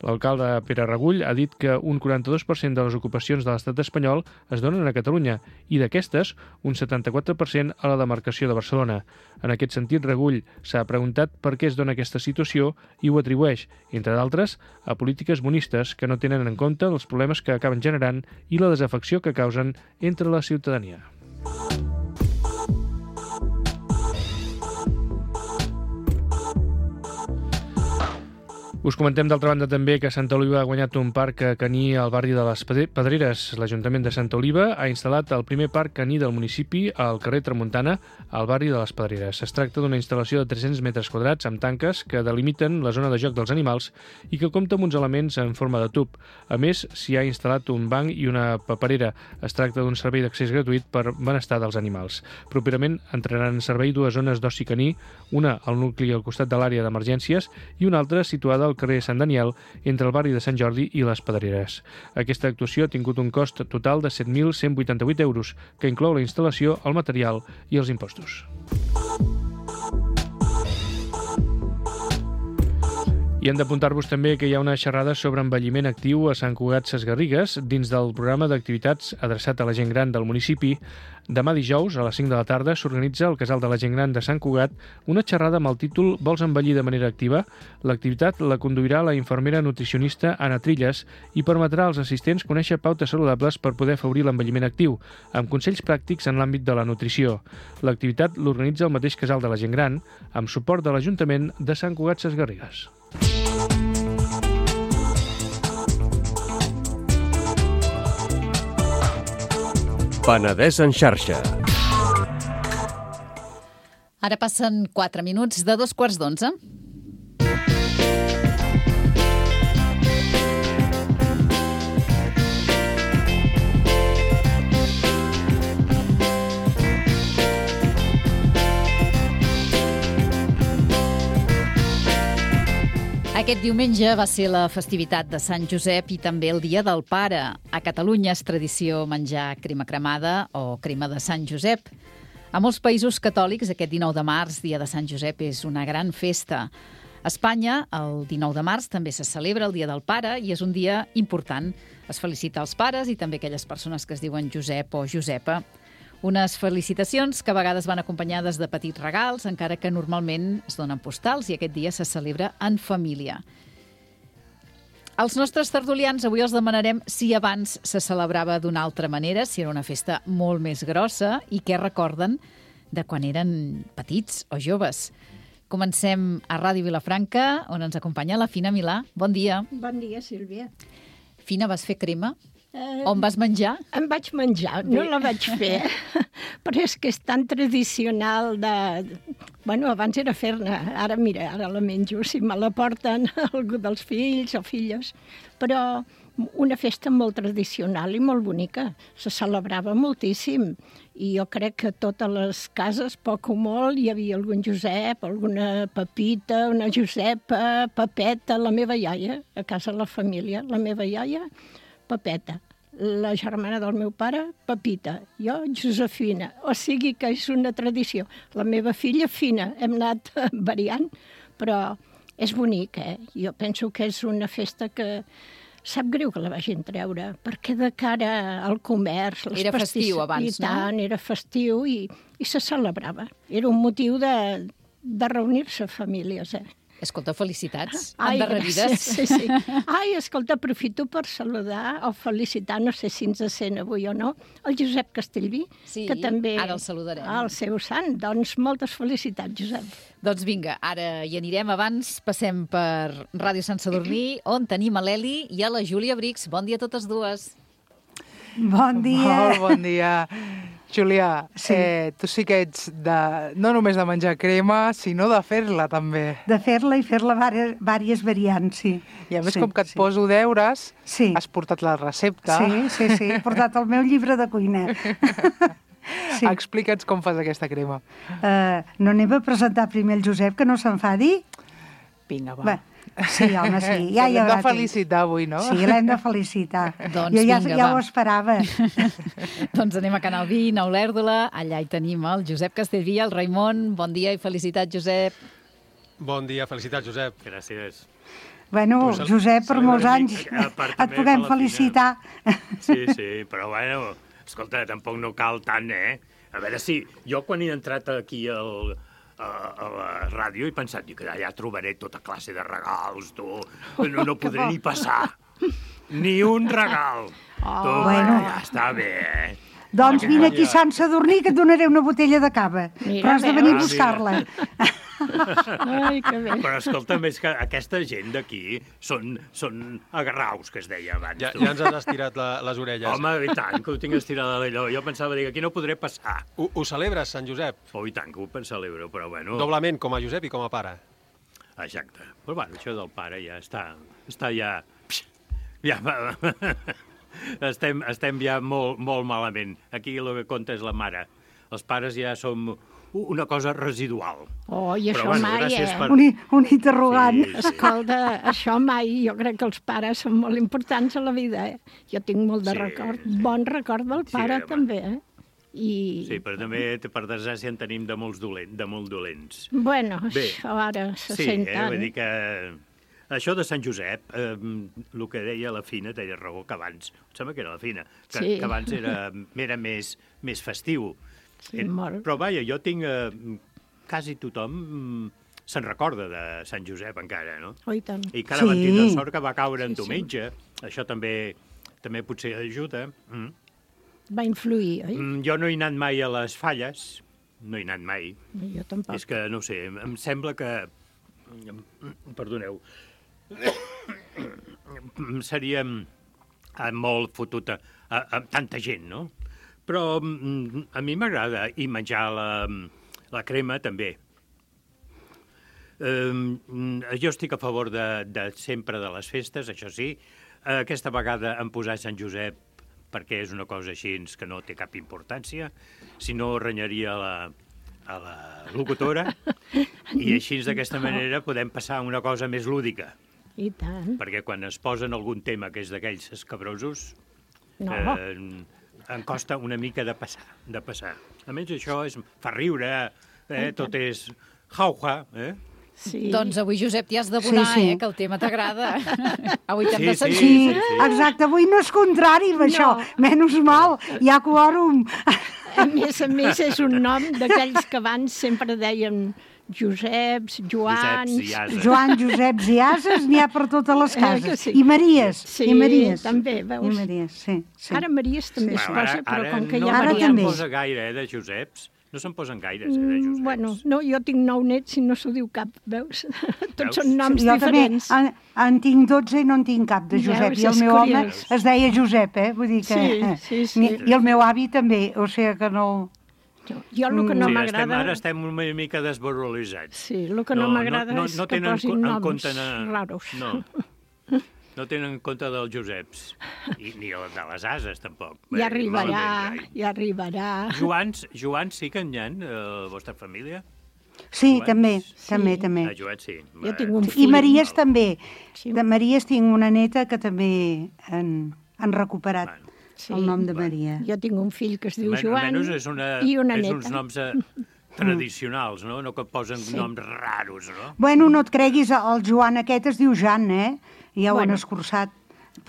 L'alcalde Pere Regull ha dit que un quaranta-dos per cent de les ocupacions de l'estat espanyol es donen a Catalunya i d'aquestes un setanta-quatre per cent a la demarcació de Barcelona. En aquest sentit, Regull s'ha preguntat per què es dona aquesta situació i ho atribueix, entre d'altres, a polítiques bonistes que no tenen en compte els problemes que acaben generant i la desafecció que causen entre la ciutadania. Us comentem d'altra banda també que Santa Oliva ha guanyat un parc caní al barri de les Pedreres. L'Ajuntament de Santa Oliva ha instal·lat el primer parc caní del municipi al carrer Tramuntana, al barri de les Pedreres. Es tracta d'una instal·lació de tres-cents metres quadrats amb tanques que delimiten la zona de joc dels animals i que compta amb uns elements en forma de tub. A més, s'hi ha instal·lat un banc i una paperera. Es tracta d'un servei d'accés gratuït per benestar dels animals. Properament entraran en servei dues zones d'oci caní, una al nucli al costat de l'àrea d'emergències i una altra situada al carrer Sant Daniel, entre el barri de Sant Jordi i les Pedreres. Aquesta actuació ha tingut un cost total de set mil cent vuitanta-vuit euros, que inclou la instal·lació, el material i els impostos. I hem d'apuntar-vos també que hi ha una xerrada sobre envelliment actiu a Sant Cugat Sesgarrigues dins del programa d'activitats adreçat a la gent gran del municipi. Demà dijous, a les cinc de la tarda, s'organitza al Casal de la Gent Gran de Sant Cugat una xerrada amb el títol Vols envellir de manera activa? L'activitat la conduirà la infermera nutricionista Anna Trilles i permetrà als assistents conèixer pautes saludables per poder afavorir l'envelliment actiu, amb consells pràctics en l'àmbit de la nutrició. L'activitat l'organitza el mateix Casal de la Gent Gran, amb suport de l'Ajuntament de Sant Cugat Sesgarrigues. Penedès en xarxa. Ara passen quatre minuts de dos quarts d'onze. Aquest diumenge va ser la festivitat de Sant Josep i també el Dia del Pare. A Catalunya és tradició menjar crema cremada o crema de Sant Josep. A molts països catòlics, aquest dinou de març, Dia de Sant Josep, és una gran festa. A Espanya, el dinou de març, també se celebra el Dia del Pare i és un dia important. Es felicita els pares i també aquelles persones que es diuen Josep o Josepa. Unes felicitacions que a vegades van acompanyades de petits regals, encara que normalment es donen postals i aquest dia se celebra en família. Els nostres tertulians avui els demanarem si abans se celebrava d'una altra manera, si era una festa molt més grossa i què recorden de quan eren petits o joves. Comencem a Ràdio Vilafranca, on ens acompanya la Fina Milà. Bon dia. Bon dia, Sílvia. Fina, vas fer crema? Eh, On vas menjar? Em vaig menjar, no la vaig fer, però és que és tan tradicional de... Bueno, abans era fer-ne, ara mira, ara la menjo, si me la porten algú dels fills o filles, però una festa molt tradicional i molt bonica, se celebrava moltíssim, i jo crec que a totes les cases, poc o molt, hi havia algun Josep, alguna Pepita, una Josepa, Pepeta, la meva iaia, a casa de la família, la meva iaia, Pepeta. La germana del meu pare, Pepita, jo, Josefina. O sigui que és una tradició. La meva filla, Fina. Hem anat variant, però és bonic, eh? Jo penso que és una festa que sap greu que la vagin treure, perquè de cara al comerç... Era festiu abans, no? I tant, era festiu i, i se celebrava. Era un motiu de, de reunir-se famílies, eh? Escolta, felicitats. Ai, endarrerides. Sí, sí. Ai, escolta, aprofito per saludar o felicitar, no sé si ens sent avui o no, el Josep Castellví, sí, que també... ara el saludarem. El seu sant. Doncs moltes felicitats, Josep. Doncs vinga, ara hi anirem. Abans passem per Ràdio Sant Sadurní, on tenim a l'Eli i a la Júlia Brix. Bon dia a totes dues. Bon dia. Molt bon dia. Júlia, Sí. eh, tu sí que ets de, no només de menjar crema, sinó de fer-la també. De fer-la i fer-la vàries variants, sí. I a més, sí, com que et sí. poso deures, Sí. has portat la recepta. Sí, sí, sí, he portat el meu llibre de cuina. Sí. Explica'ns com fas aquesta crema. Uh, no anem a presentar primer el Josep, que no s'enfadi? Vinga, va. Va. Sí, home, sí. Ja hi L'hem haurà de felicitar avui, no? Sí, l'hem de felicitar. Doncs jo ja, vinga, ja va. ho esperava. Doncs anem a Canal vint, a Olèrdola. Allà hi tenim el Josep Castellví, el Raimon. Bon dia i felicitats, Josep. Bon dia, felicitats, Josep. Gràcies. Bueno, Pues el- Josep, per celebra molts una anys mica, a part et també puguem per la felicitar. Sí, sí, però bueno, escolta, tampoc no cal tant, eh? A veure si... Jo quan he entrat aquí al, a, a la ràdio he pensat que allà trobaré tota classe de regals, tu. No, no podré ni passar. Ni un regal. Oh, tu, bueno. ja està bé, eh? Doncs vine aquí a Sant Sadurní que et donaré una botella de cava. Mira, Però has de venir a veus? buscar-la. Ai, que bé. Però escolta'm, és que aquesta gent d'aquí són, són agarraus, que es deia abans. Ja, tu. ja ens has estirat la, les orelles. Home, i tant, que ho tinc estirada d'allò. Jo pensava, dic, aquí no podré passar. Ho, ho celebres, Sant Josep? Oh, i tant, que ho celebro, però bueno... Doblement, com a Josep i com a pare. Exacte. Però bueno, això del pare ja està... Està ja... Ja va... Estem, estem ja molt, molt malament. Aquí el que compta és la mare. Els pares ja som una cosa residual. Oh, i Però això bueno, mai, gràcies eh? per- Un, un interrogant. Sí, sí. Escolta, això mai, jo crec que els pares són molt importants a la vida, eh? Jo tinc molt de Sí, record, sí. bon record del Sí, pare, home. també, eh? I, Sí, però també, per desgràcia, en tenim de molts dolents. De molt dolents. bueno, Bé. això ara se Sí, sent eh? tant. Vull dir que... Això de Sant Josep, eh, el que deia la Fina, deia raó, que abans, em sembla que era la Fina, que, Sí. que abans era, era més, més festiu. Sí, Eh, molt. Però vaja, jo tinc... Eh, quasi tothom mm, se'n recorda de Sant Josep encara, no? Oh, i tant. I cada Sí. sí. van tindre sort que va caure en Sí, sí. diumenge. Això també també potser ajuda. Mm. Va influir, oi? Mm, jo no he anat mai a les falles, no he anat mai. Jo tampoc. És que, no sé, em sembla que... Perdoneu. Seria eh, molt fotut a, a, a tanta gent, no? Però mm, a mi m'agrada i menjar la, la crema també. Um, jo estic a favor de, de sempre de les festes, això sí. Aquesta vegada em posat Sant Josep perquè és una cosa així que no té cap importància, si no renyaria la, a la locutora, i així d'aquesta manera podem passar a una cosa més lúdica, I tant. perquè quan es posen algun tema que és d'aquells escabrosos, No. eh, em costa una mica de passar, de passar. A més, això és, fa riure, eh, tot és jauja, eh? Sí. Doncs avui, Josep, t'hi has d'abonar, Sí, sí. eh, que el tema t'agrada. Avui t'hem Sí, de sí. sentir. Sí, sí, sí. exacte. Avui no és contrari amb això. Menys mal, hi ha quòrum. A més a més, és un nom d'aquells que abans sempre deien Joseps, Joans... Joseps i ases. Joan, Joseps i ases n'hi ha per totes les Eh, que cases. sí? I Maries. Sí, I Maries. també, veus? I Maries, sí. sí. Ara Maries també es Bueno, posa, però com que no, hi ha Ara no variants... també. posa gaire, eh, de Joseps. No se'n posen gaires, eh, de Joseps. Bueno, no, jo tinc nou nets i no s'ho diu cap, veus? Tots Veus? són noms Jo també diferents. en, en tinc dotze i no en tinc cap de Josep. Veus, I el és meu home curiós. es deia Josep, eh? Vull dir que... Sí, sí, sí. I, I el meu avi també, o sigui que no... Jo el que no Sí, estem, m'agrada... ara estem una mica desvaloritzats. Sí, el que no, m'agrada no, no, és no que tenen posin en noms compte na- raros. No. No tenen en compte dels Joseps. I ni el de les ases, tampoc. Ja Bé, arribarà, malament, rai. ja arribarà. Joans, Joans sí que n'hi ha, a la vostra família? Sí, Joans? també, Sí. també, també. Ah, Joans sí. Jo tinc un I fill. Maries també. Sí. De Maries tinc una neta que també han, han recuperat Bueno, Sí. el nom de Maria. Jo tinc un fill que es diu Men- Joan Almenys és, una, i una és neta. uns noms eh, tradicionals, no? No que posen Sí. noms raros, no? Bueno, no et creguis, el Joan aquest es diu Jan, eh? Ja ho Bueno. han escurçat.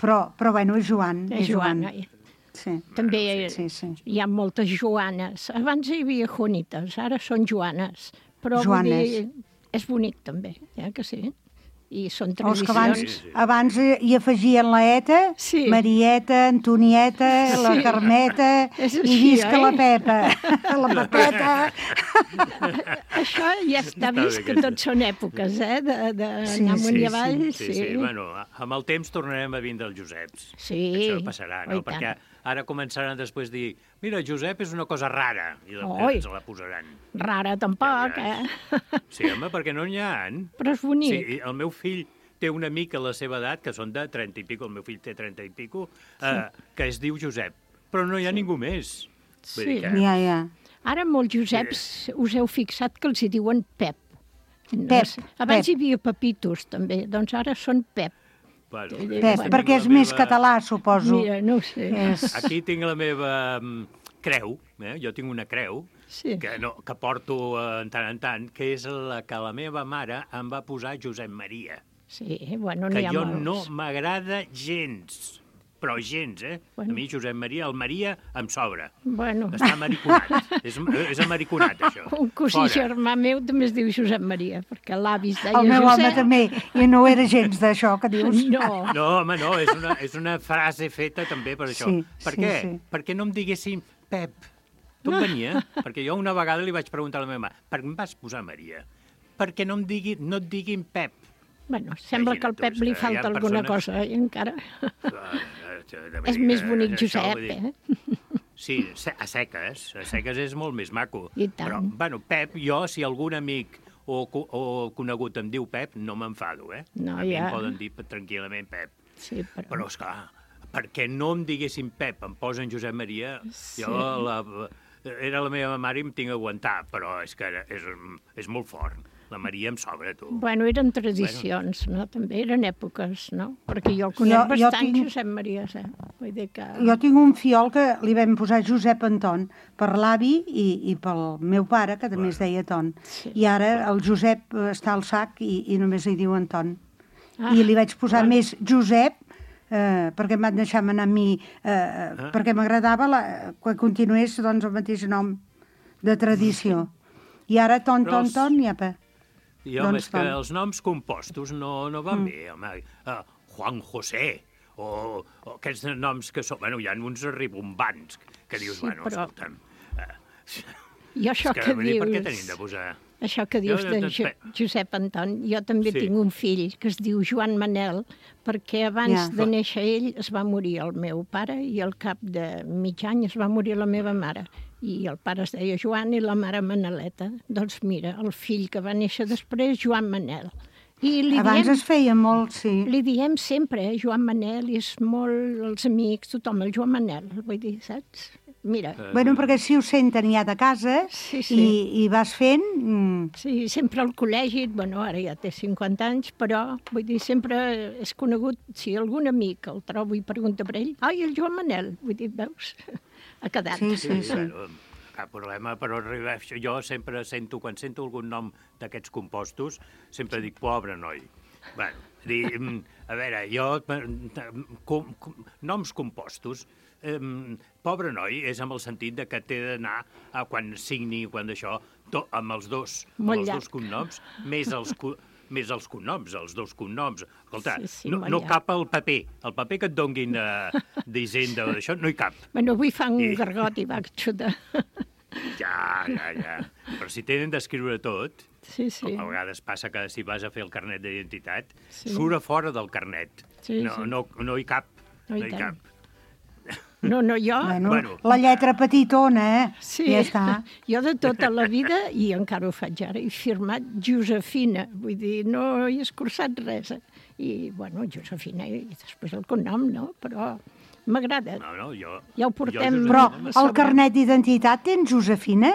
Però, però bueno, és Joan. És Joan. Joan. Sí. També Sí, sí. hi ha moltes Joanes. Abans hi havia Juanites, ara són Joanes. Però vull Joanes. dir, és bonic també, eh, que sí? I són O és que tradicions. abans, Sí, sí. abans eh, hi afegien la Eta, Sí. Marieta, Antonieta, la Sí. Carmeta, És i així, visca eh? la Pepa, la Pepeta. Això ja està Està bé vist que aquesta. tots són èpoques, eh? De- d'anar Sí, amunt sí, i avall. Sí, sí. Bueno, amb el temps tornarem a vindre els Joseps. Sí. Això passarà, Oh, no? i tant. Perquè ara començaran després a dir mira, Josep és una cosa rara, i la, Oi. ens la posaran. Rara tampoc, Ja eh? Sí, home, perquè no n'hi ha. Però és bonic. Sí, el meu fill té un amic a la seva edat, que són de trenta i pico, el meu fill té trenta i pico, eh, que es diu Josep, però no hi ha ningú més. Vull dir Sí. que... Ja, ja. Ara molts Joseps us heu fixat que els hi diuen Pep. No Pep, sé. Abans Pep. hi havia Pepitos, també. Doncs ara són Pep. Bueno, Pep, Pep, tinc perquè la és més meva- català, suposo. Mira, no ho sé. És... Aquí tinc la meva mm, creu, eh? Jo tinc una creu, Sí. que, no, que porto eh, en tant en tant, que és la que la meva mare em va posar Josep Maria, Sí, bueno, que n'hi ha jo molts. no m'agrada gens, però gens, eh? Bueno. A mi Josep Maria, el Maria em sobra. Bueno, Està amariconat. és, és amariconat, això. un cosí Fora. germà meu també es diu Josep Maria, perquè l'avi es deia El meu Josep. home també, i no era gens d'això que dius. No, No, home, no, és una, és una frase feta també per això. Sí, per sí, què? sí. Perquè no em diguessin Pep. D'on venia? Perquè jo una vegada li vaig preguntar a la meva mare, per què em vas posar Maria? Perquè no, em digui, no et diguin Pep. bueno, sembla que al Imagina't Pep tu, li és que hi ha falta alguna persones- cosa, i encara. És És més bonic Josep, eh? Sí, se- a seques. A seques és molt més maco. I tant. Però, bueno, Pep, jo, si algun amic o, co- o conegut em diu Pep, no m'enfado, eh? No, a mi ja. em poden dir tranquil·lament Pep. Sí, però... Però, esclar, perquè no em diguessin Pep, em posen Josep Maria, Sí. jo la, era la meva mare i em tinc a aguantar, però és que és, és molt fort. La Maria em sobra, tu. Bueno, eren tradicions, no? També eren èpoques, no? Perquè jo conec Jo- jo bastant tinc- Josep Maria, eh? Vull dir que... Jo tinc un fiol que li vam posar Josep Anton per l'avi i, i pel meu pare, que també es deia Ton. Sí. I ara el Josep eh, està al sac i, i només li diu Anton. Ah, I li vaig posar bueno. més Josep, eh, perquè em van deixar anar a mi, eh, Ah. perquè m'agradava la, que continués doncs, el mateix nom de tradició. I ara Ton, Però Ton, els- Ton, nyapa. I, home, doncs, és que Ton. els noms compostos no, no van bé, home. Uh, Juan José, o, o aquests noms que són... Bueno, hi ha uns ribombants que dius, Sí, bueno, però- escolta'm... Uh, I això és que, que vull dir, per què dius... tenim de posar... Això que dius Jo, de doncs, jo, pe- Josep Anton, jo també Sí. tinc un fill que es diu Joan Manel, perquè abans Ja. de néixer ell es va morir el meu pare i al cap de mig any es va morir la meva mare. I el pare es deia Joan i la mare Maneleta. Doncs mira, el fill que va néixer després, Joan Manel. I li Abans diem, es feia molt, sí. li diem sempre, eh, Joan Manel, i és molt els amics, tothom, el Joan Manel, vull dir, saps? Mira, Bueno, perquè si ho senten ja de casa Sí, sí. I, i vas fent... Mm, sí, sempre al col·legi, bueno, ara ja té cinquanta anys, però, vull dir, sempre és conegut, si algun amic el trobo i pregunta per ell, ai, el Joan Manel, vull dir, veus? Ha quedat. Sí, sí, sí. Bueno, cap problema, però arribar... Jo sempre sento, quan sento algun nom d'aquests compostos, sempre dic, pobre noi. Bueno, dir, mm, a veure, jo... Com, com, noms compostos, eh, pobre noi és amb el sentit de que té d'anar a quan signi, quan d'això, to, amb els dos, amb Molt els llarg. dos cognoms, més els, co- més els cognoms, els dos cognoms. Escolta, Sí, sí, no, molt no llarg. cap al paper. El paper que et donguin eh, d'Hisenda o d'això, no hi cap. Bueno, avui fa un I- gargot i va xutar. Ja, ja, ja. Però si tenen d'escriure tot, sí, sí. com a vegades passa que si vas a fer el carnet d'identitat, Sí. surt a fora del carnet. Sí, no, sí. no, no hi cap. No No hi hi tant. cap. No, no, jo... Bueno, Bueno. la lletra petitona, eh? Sí, Ja està. jo de tota la vida, i encara ho faig ara, he firmat Josefina, vull dir, no he escurçat res. I, bueno, Josefina, i després el cognom, no? Però m'agrada. No, no, jo... Ja ho portem... Jo, Però a el sobre. carnet d'identitat tens Josefina?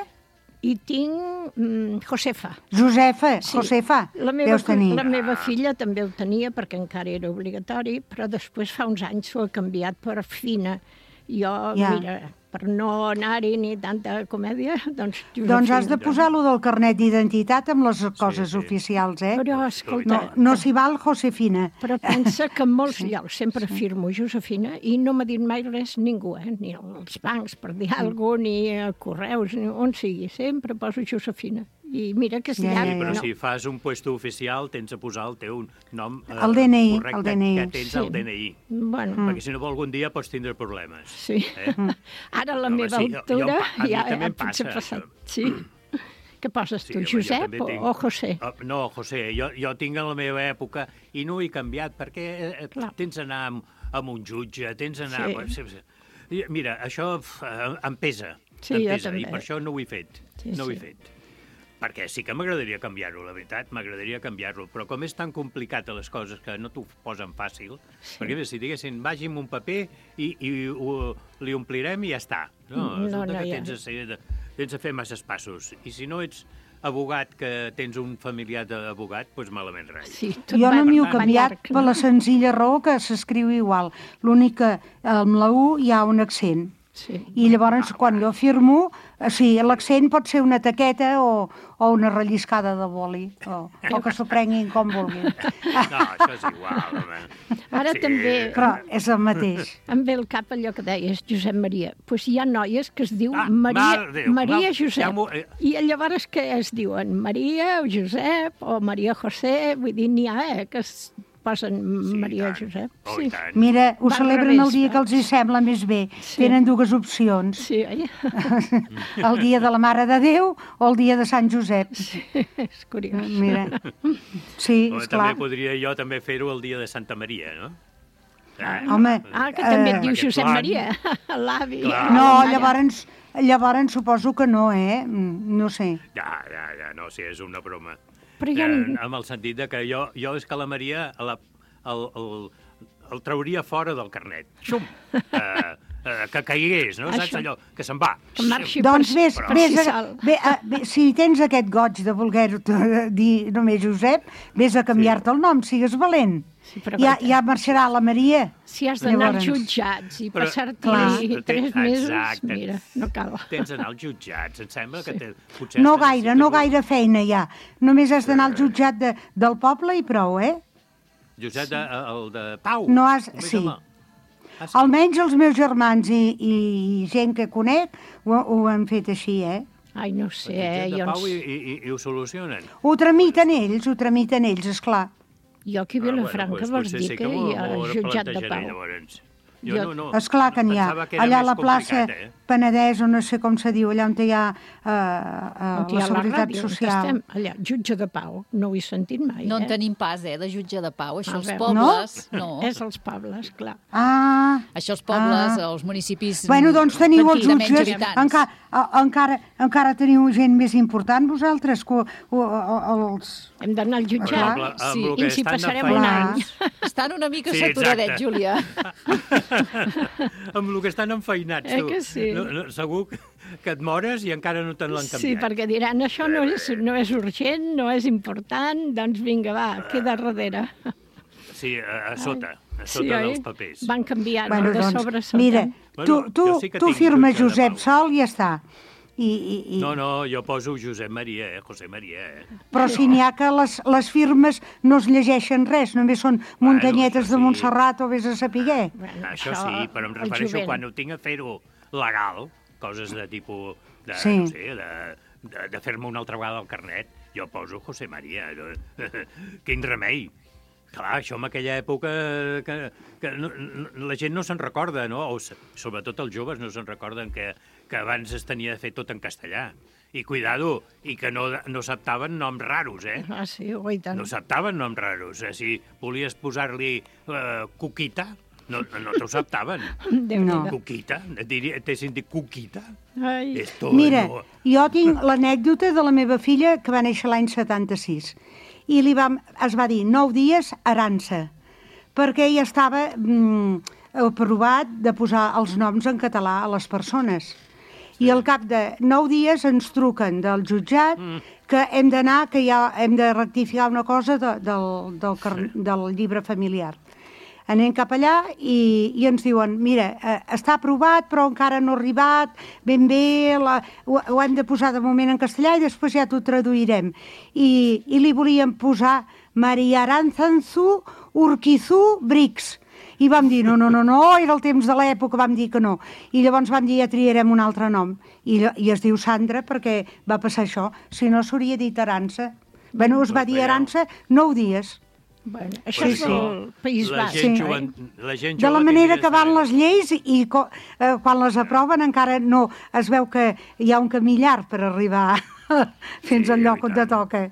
I tinc mm, Josefa. Josefa, Sí. Josefa, La meva, deus tenir. la meva filla també ho tenia perquè encara era obligatori, però després fa uns anys s'ho ha canviat per Fina. Jo, Ja. mira, per no anar-hi ni tanta comèdia, doncs Josefina. Doncs has de posar-lo del carnet d'identitat amb les coses sí. oficials, eh? Però, escolta, No, no s'hi val Josefina. però pensa que en molts llocs sempre firmo Josefina i no m'ha dit mai res ningú, eh? Ni als bancs per dir alguna cosa, ni a correus, ni on sigui. Sempre poso Josefina. I mira que és Ja, ja, llarg, ja. Però no? si fas un puesto oficial, tens de posar el teu nom eh, El D N I, correcte, el D N I. que tens Sí. el D N I. Bueno, Perquè si no, algun dia pots tindre problemes. sí. Eh? Ara a la Home, meva sí, jo- altura jo- a mi ja també em potser passa, passat. això. Sí. Què poses Sí, tu, home, jo Josep també o, tinc- o José? Uh, no, José, jo, jo tinc en la meva època i no ho he canviat perquè eh, Clar. tens d'anar amb, amb un jutge, tens d'anar... Sí. Sí. Mira, això pf, em- em pesa, Sí, em jo pesa, també. i per això no ho he fet, Sí, no ho he sí. fet. Perquè sí que m'agradaria canviar-ho, la veritat, m'agradaria canviar-lo, però com és tan complicat a les coses que no t'ho posen fàcil, sí. perquè bé, si diguessin, vagi amb un paper i, i ho, li omplirem i ja està. No, No, resulta no, que ja. tens de, ser, de, tens de fer masses passos. I si no ets abogat, que tens un familiar d'abogat, doncs malament res. Sí, tot Jo va, no m'hi he va canviat llarg, per la senzilla raó que s'escriu igual. L'únic que amb la U hi ha un accent. Sí. I llavors, quan jo firmo, o sigui, l'accent pot ser una taqueta o, o una relliscada de boli, o, o que s'ho prenguin com vulguin. No, això és igual, home. Ara Sí. també Però és el mateix. em ve al cap allò que deies, Josep Maria. Doncs pues hi ha noies que es diu Ah, Maria, mare de Déu, Maria no, Josep. ja m'ho- eh. I llavors què es diuen? Maria o Josep o Maria José? Vull dir, n'hi ha, eh, que es posen Sí, Maria i tant. Josep. Oh, i tant. Mira, ho Va al celebren revés, el dia va. que els hi sembla més bé. Sí. Tenen dues opcions. Sí, oi? El dia de la Mare de Déu o el dia de Sant Josep. És curiós. Mira. Sí, Home, esclar. també podria jo també fer-ho el dia de Santa Maria, no? Ah, Home, Ah, que també et eh, diu aquest Josep plan. Maria, l'avi. Clar. la No, mare. llavors, llavors suposo que no, eh? Mm, No sé. Ja, ja, ja, no, sí, és una broma. Però hi ha... Eh, amb el sentit de que jo, jo és que la Maria la, el, el, el trauria fora del carnet. Xum! Eh, eh, que caigués, no? Saps Això. allò? Que se'n va. Que marxi Doncs per, vés, per vés, si a, sol. bé, a, bé, si tens aquest goig de voler dir només Josep, vés a canviar-te el nom, sigues valent. Sí, però Ja, guaita. ja marxarà la Maria. Si has d'anar als Llavors. jutjats i Però- passar-t'hi Clar. tres mesos, Exacte. mira, no cal. Tens d'anar als jutjats. Em sembla que te, potser... No has de gaire, necessitar no un- gaire feina ja. Només has d'anar al jutjat de, del poble i prou, eh? Josep, de, el de Pau. No has- Com es sí. llama? Ah, sí. Almenys els meus germans i, i gent que conec ho, ho han fet així, eh? Ai, no ho sé, El eh? jutjat de Jo, Pau i, ens... i, i, i ho solucionen. Ho tramiten ells, ho tramiten ells, esclar. jo aquí a Ah, Vilafranca doncs vols potser dir sí que m'ho- hi ha m'ho jutjat de replantejaré, Pau. llavors. Jo, Jo- no, no. Esclar que n'hi ha. Pensava que era Allà a més la plaça complicat, eh? Penedès, o no sé com se diu, allà on hi ha eh, eh, On hi la ha Seguretat ràdio, on Social. estem, allà, jutge de Pau, no ho he sentit mai, No en eh? tenim pas, eh, de jutge de pau. Això A els veure. pobles... No? És els pobles, clar. Ah, Això els pobles, Ah. els municipis... bueno, doncs teniu els de menys jutges, habitants. encara, encara, encara teniu gent més important vosaltres, que, o, o, els... Hem d'anar al jutjat. Amb la- amb Sí. lo I que ens hi estan de passarem feina- un Clar. any. Estan una mica Sí, saturadets, exacte. Júlia. Amb el que estan enfeinats, Eh tu. que sí? No, no, segur que et mores i encara no te l'han canviat. Sí, perquè diran, això no és, no és urgent, no és important, doncs vinga, va, queda darrere. Sí, a, a sota, a Sí, sota oi? dels papers. Van canviant, Bueno, de doncs, sobre sota. mira, tu, Bueno, tu, jo sí que tu tinc firmes jutge de Josep Pau. Sol i ja està. I, i, i... No, no, jo poso Josep Maria, eh? José Maria, eh? Però si n'hi ha que les, les firmes no es llegeixen res, només són muntanyetes això de sí. Montserrat o vés a saber. Bueno, Això sí, però em el refereixo jovent. quan ho tinc a fer-ho legal, coses de tipus, de, Sí. no sé, de, de, de fer-me una altra vegada el carnet, jo poso José Maria. Quin remei. Clar, això en aquella època que, que no, no, la gent no se'n recorda, no? O s- sobretot els joves no se'n recorden que, que abans es tenia de fer tot en castellà. I cuidado, i que no, no acceptaven noms raros, eh? Ah, sí, oi tant. No acceptaven noms raros. Eh? Si volies posar-li uh, Cuquita, no, no t'ho acceptaven. No. Cuquita, t'hessin dit Cuquita. Ai. Esto Mira, no... jo tinc l'anècdota de la meva filla que va néixer l'any setanta-sis i li vam, es va dir nou dies Arança, perquè ella estava mm, aprovat de posar els noms en català a les persones. I al cap de nou dies ens truquen del jutjat mm. que hem d'anar, que ja hem de rectificar una cosa de, del, del, car- del llibre familiar. Anem cap allà i, i ens diuen, mira, eh, està aprovat però encara no ha arribat, ben bé, la, ho, ho hem de posar de moment en castellà i després ja t'ho traduirem. I, i li volíem posar Maria Aranzanzu Urquizu Brix. I vam dir, no, no, no, no, era el temps de l'època, vam dir que no. I llavors vam dir, ja triarem un altre nom. I, I es diu Sandra perquè va passar això. Si no, s'hauria dit Arança. Bueno, es va dir Arança nou dies. Bueno, això sí, és sí. el País La Basc. gent Sí. jove, la gent De la jove manera tindria que van de les lleis i co, eh, quan les aproven encara no es veu que hi ha un camí llarg per arribar fins Sí, al lloc i on te tant. toca.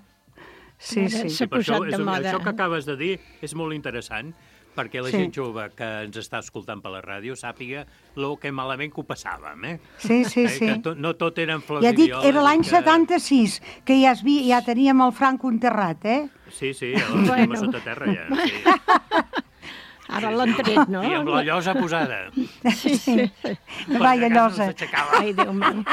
Sí, Ara sí. s'ha Per això, posat de és, moda. això que acabes de dir és molt interessant, perquè la Sí. gent jove que ens està escoltant per la ràdio sàpiga lo que malament que ho passàvem, eh? Sí, sí, Eh, sí. Que to, no tot eren flors Ja i dic, violes. era l'any i que... setanta-sis, que ja, es vi, ja teníem el Franco enterrat, eh? Sí, sí, ja el tenim a sota terra, ja. Sí. Ara l'han tret, no? I amb la llosa posada. Sí, sí. Vaya llosa. Ai, Déu meu.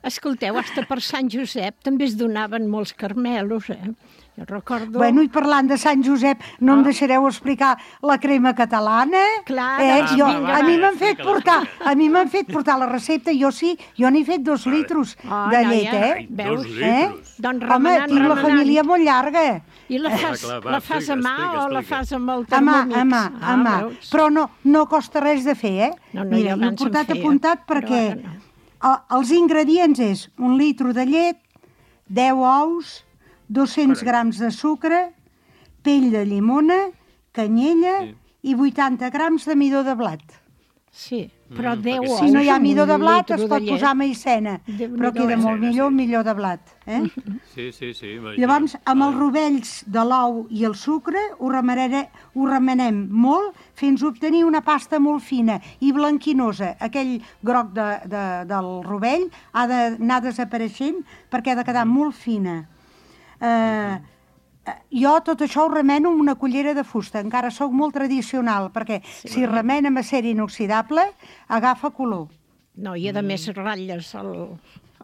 Escolteu, hasta per Sant Josep també es donaven molts carmelos, eh? Jo recordo... Bueno, i parlant de Sant Josep, no em deixareu explicar la crema catalana? Clar, eh? doncs jo, vinga, a va. mi m'han fet Explica-la, portar, explica. a mi m'han fet portar la recepta, jo sí, jo n'he fet dos litros Ah, de noia, llet, eh? Ai, Veus? dos Eh? litros. Doncs Home, remenant, tinc la remenant. família molt llarga. I la fas, clar, va, la fas a explica, mà explica, o la explica. fas amb el A mà, termomix? a mà, a mà. veus? Però no, no costa res de fer, eh? No, no, Mira, jo jo he abans em portat feia, apuntat però perquè ara no. el- els ingredients és un litro de llet, deu ous, dos-cents grams de sucre, pell de llimona, canyella Sí. i vuitanta grams de midó de blat. Sí, però Mm, deu perquè ous. Si no hi ha amb midó un de blat, litro es de pot llet. posar maicena, Déu-n'hi-do, però queda eh? molt Maicena, millor sí. un millor de blat. Eh? Sí, sí, sí. imagina't. Llavors, amb els Vale. rovells de l'ou i el sucre, ho, remenere, ho remenem molt fins a obtenir una pasta molt fina i blanquinosa. Aquell groc de, de, del rovell ha d'anar desapareixent perquè ha de quedar molt fina. Eh, jo tot això ho remeno amb una cullera de fusta. Encara sóc molt tradicional, perquè sí, si remena amb acer inoxidable, agafa color. No, i a més ratlles el,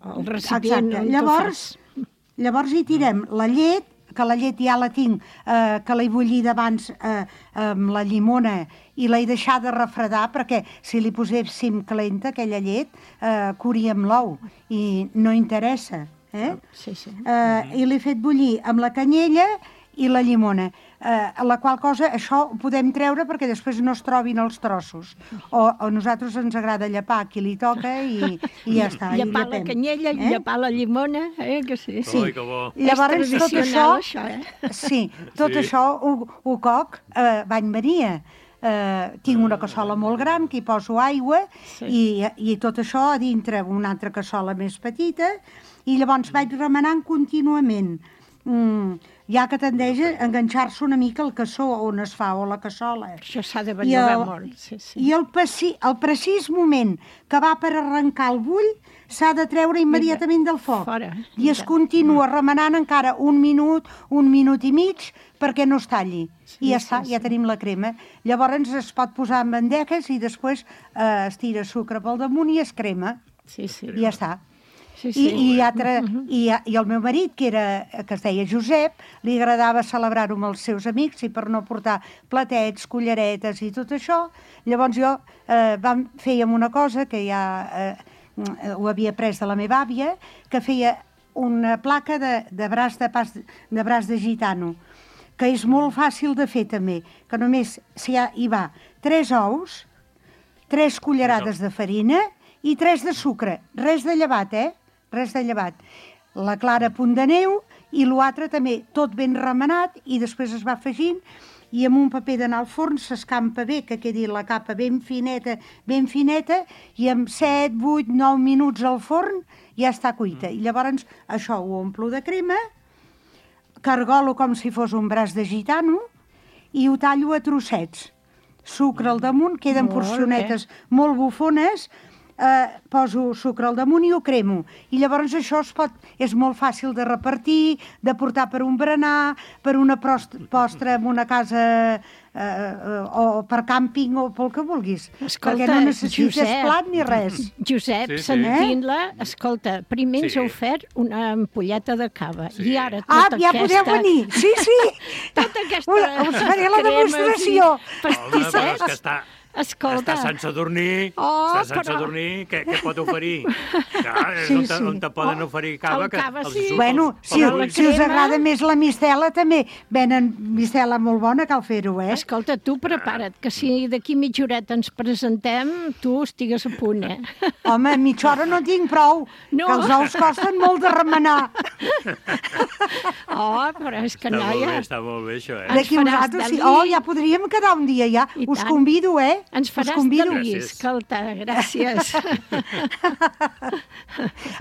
el recipient. Exacte. on tu Llavors, fas. llavors hi tirem la llet, que la llet ja la tinc, eh, que l'he bullit abans eh, amb la llimona i l'he deixada refredar, perquè si li poséssim calenta, aquella llet, eh, curíem l'ou i no interessa. Eh? Sí, sí. Eh, I l'he fet bullir amb la canyella i la llimona, eh, a la qual cosa això ho podem treure perquè després no es trobin els trossos. O, o a nosaltres ens agrada llepar a qui li toca i, i ja està. i Llepar la llepem. canyella, Eh? llepar la llimona, eh, que sí. Sí. Ui, que bo. Llavors, És tot això, tradicional, això, eh? sí, tot Sí. això ho, ho coc eh, bany Maria. Eh, tinc una cassola molt gran que hi poso aigua Sí. i, i tot això a dintre una altra cassola més petita i llavors vaig remenant contínuament. Mm, ja que tendeix a enganxar-se una mica el cassó on es fa, o la cassola. Això s'ha de I bellugar el, molt. Sí, sí. i el, passi, el precís moment que va per arrencar el bull s'ha de treure immediatament del foc. Fora. I es continua remenant encara un minut, un minut i mig, perquè no es talli. Sí, I ja sí, està, sí. ja tenim la crema. Llavors es pot posar en bandejes i després eh, es tira sucre pel damunt i es crema. Sí, sí. I ja està. Sí, I, sí. i, altre, i, i el meu marit, que, era, que es deia Josep, li agradava celebrar-ho amb els seus amics i per no portar platets, culleretes i tot això, llavors jo eh, vam, fèiem una cosa que ja eh, ho havia pres de la meva àvia, que feia una placa de, de, braç de, pas, de braç de gitano, que és molt fàcil de fer també, que només si ha, hi va tres ous, tres cullerades de farina i tres de sucre, res de llevat, eh? Res de llevat. La clara, punt de neu, i l'altre també tot ben remenat, i després es va afegint, i amb un paper d'anar al forn s'escampa bé, que quedi la capa ben fineta, ben fineta, i amb set, vuit, nou minuts al forn ja està cuita. I llavors això ho omplo de crema, cargolo com si fos un braç de gitano i ho tallo a trossets. Sucre al damunt, queden Molt porcionetes molt bufones, eh, poso sucre al damunt i ho cremo. I llavors això es pot, és molt fàcil de repartir, de portar per un berenar, per una prost- postre en una casa eh, eh, o per càmping o pel que vulguis. Escolta, perquè no necessites Josep, plat ni res. Josep, Sí, sí. sentint-la, escolta, primer ens Sí. ha ofert una ampolleta de cava Sí. i ara Ah, tota ja aquesta... podeu venir. Sí, sí. Tota aquesta Us- us faré la cremes i demostració. Home, però és pastissets. que està... Escolta, Està Sant Sadurní, Oh, està Sant però- Sadurní, què, què pot oferir? Clar, és Sí, on, te, sí. on te poden Oh, oferir cava, el que cava els sí. surt Bueno, pels- si, pels la ulls. si us crema- agrada més la mistela, també venen mistela molt bona, cal fer-ho, eh? escolta, tu prepara't, que si d'aquí mitja horeta ens presentem, tu estigues a punt, eh? Home, mitja hora no tinc prou, No. que els ous costen molt de remenar. Oh, però és que, Està molt bé, noia, està molt bé, això, eh? Ens D'aquí faràs vosaltres, sí. Dalí. Oh, ja podríem quedar un dia, ja. I Us tant. convido, eh? ens Us faràs convido. delir, Gràcies. escolta, gràcies.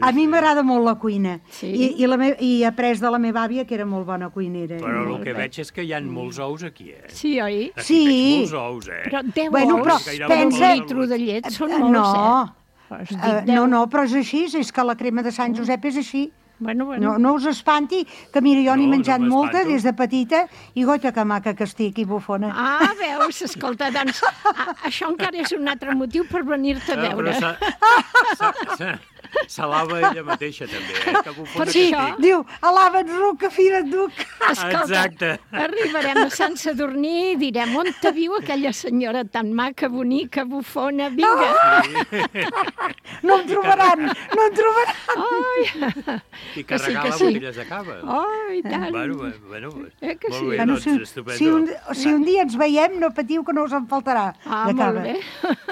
A mi m'agrada molt la cuina. Sí. I, i, la me I he après de la meva àvia, que era molt bona cuinera. Però el Molt que bé. veig és que hi ha molts ous aquí, eh? Sí, oi? Aquí Sí. veig molts ous, eh? Però deu Bueno, ous però per pensa- un litro de llet són Eh, molts, no. eh? Però us dic Uh, deu. no, no, però és així, és que la crema de Sant Josep és així. Bueno, bueno. No, no us espanti, que mira, jo n'he No, no menjat molta m'espanto. des de petita, i goita que maca que estic, i bufona. Ah, veus, escolta, doncs, a, això encara és un altre motiu per venir-te a Ah, però veure. s'ha- s'ha- s'ha- s'alaba ella mateixa, també, eh? Que bufona Per que Sí, això- estic. diu, alaba't ruc, que fira et duc. Escolta, Exacte. arribarem a Sant Sadurní i direm on te viu aquella senyora tan maca, bonica, bufona, vinga. No em trobaran, no em trobaran. Ai, I Que sí, carregar que les sí. botelles de cava. oh, i tant. Bueno, bueno, Eh que molt sí? bé, Bueno, doncs, si, estupendo. si, un, si un dia ens veiem, no patiu que no us en faltarà Ah, de molt cava. bé,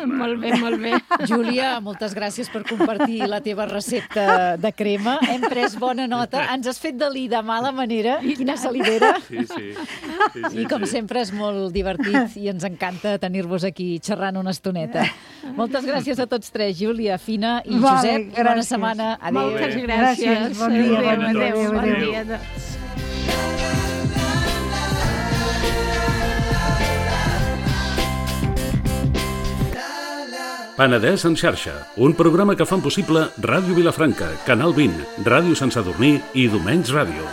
molt bé, molt bé. Júlia, moltes gràcies per compartir la teva recepta de crema. Hem pres bona nota. Ens has fet delir de mala manera. Quina salivera. Sí, sí. sí, sí I, com sí. sempre, és molt divertit i ens encanta tenir-vos aquí xerrant una estoneta. Moltes gràcies a tots tres, Júlia, Fina i Vale, Josep. I bona gràcies. setmana. Adéu. Moltes bé. gràcies. Gràcies, bon dia, Adéu, bon dia, adéu, bon adéu. dia. Doncs. Penedès en xarxa, un programa que fan possible Ràdio Vilafranca, Canal vint, Ràdio Sant Sadurní i Domenys Ràdio.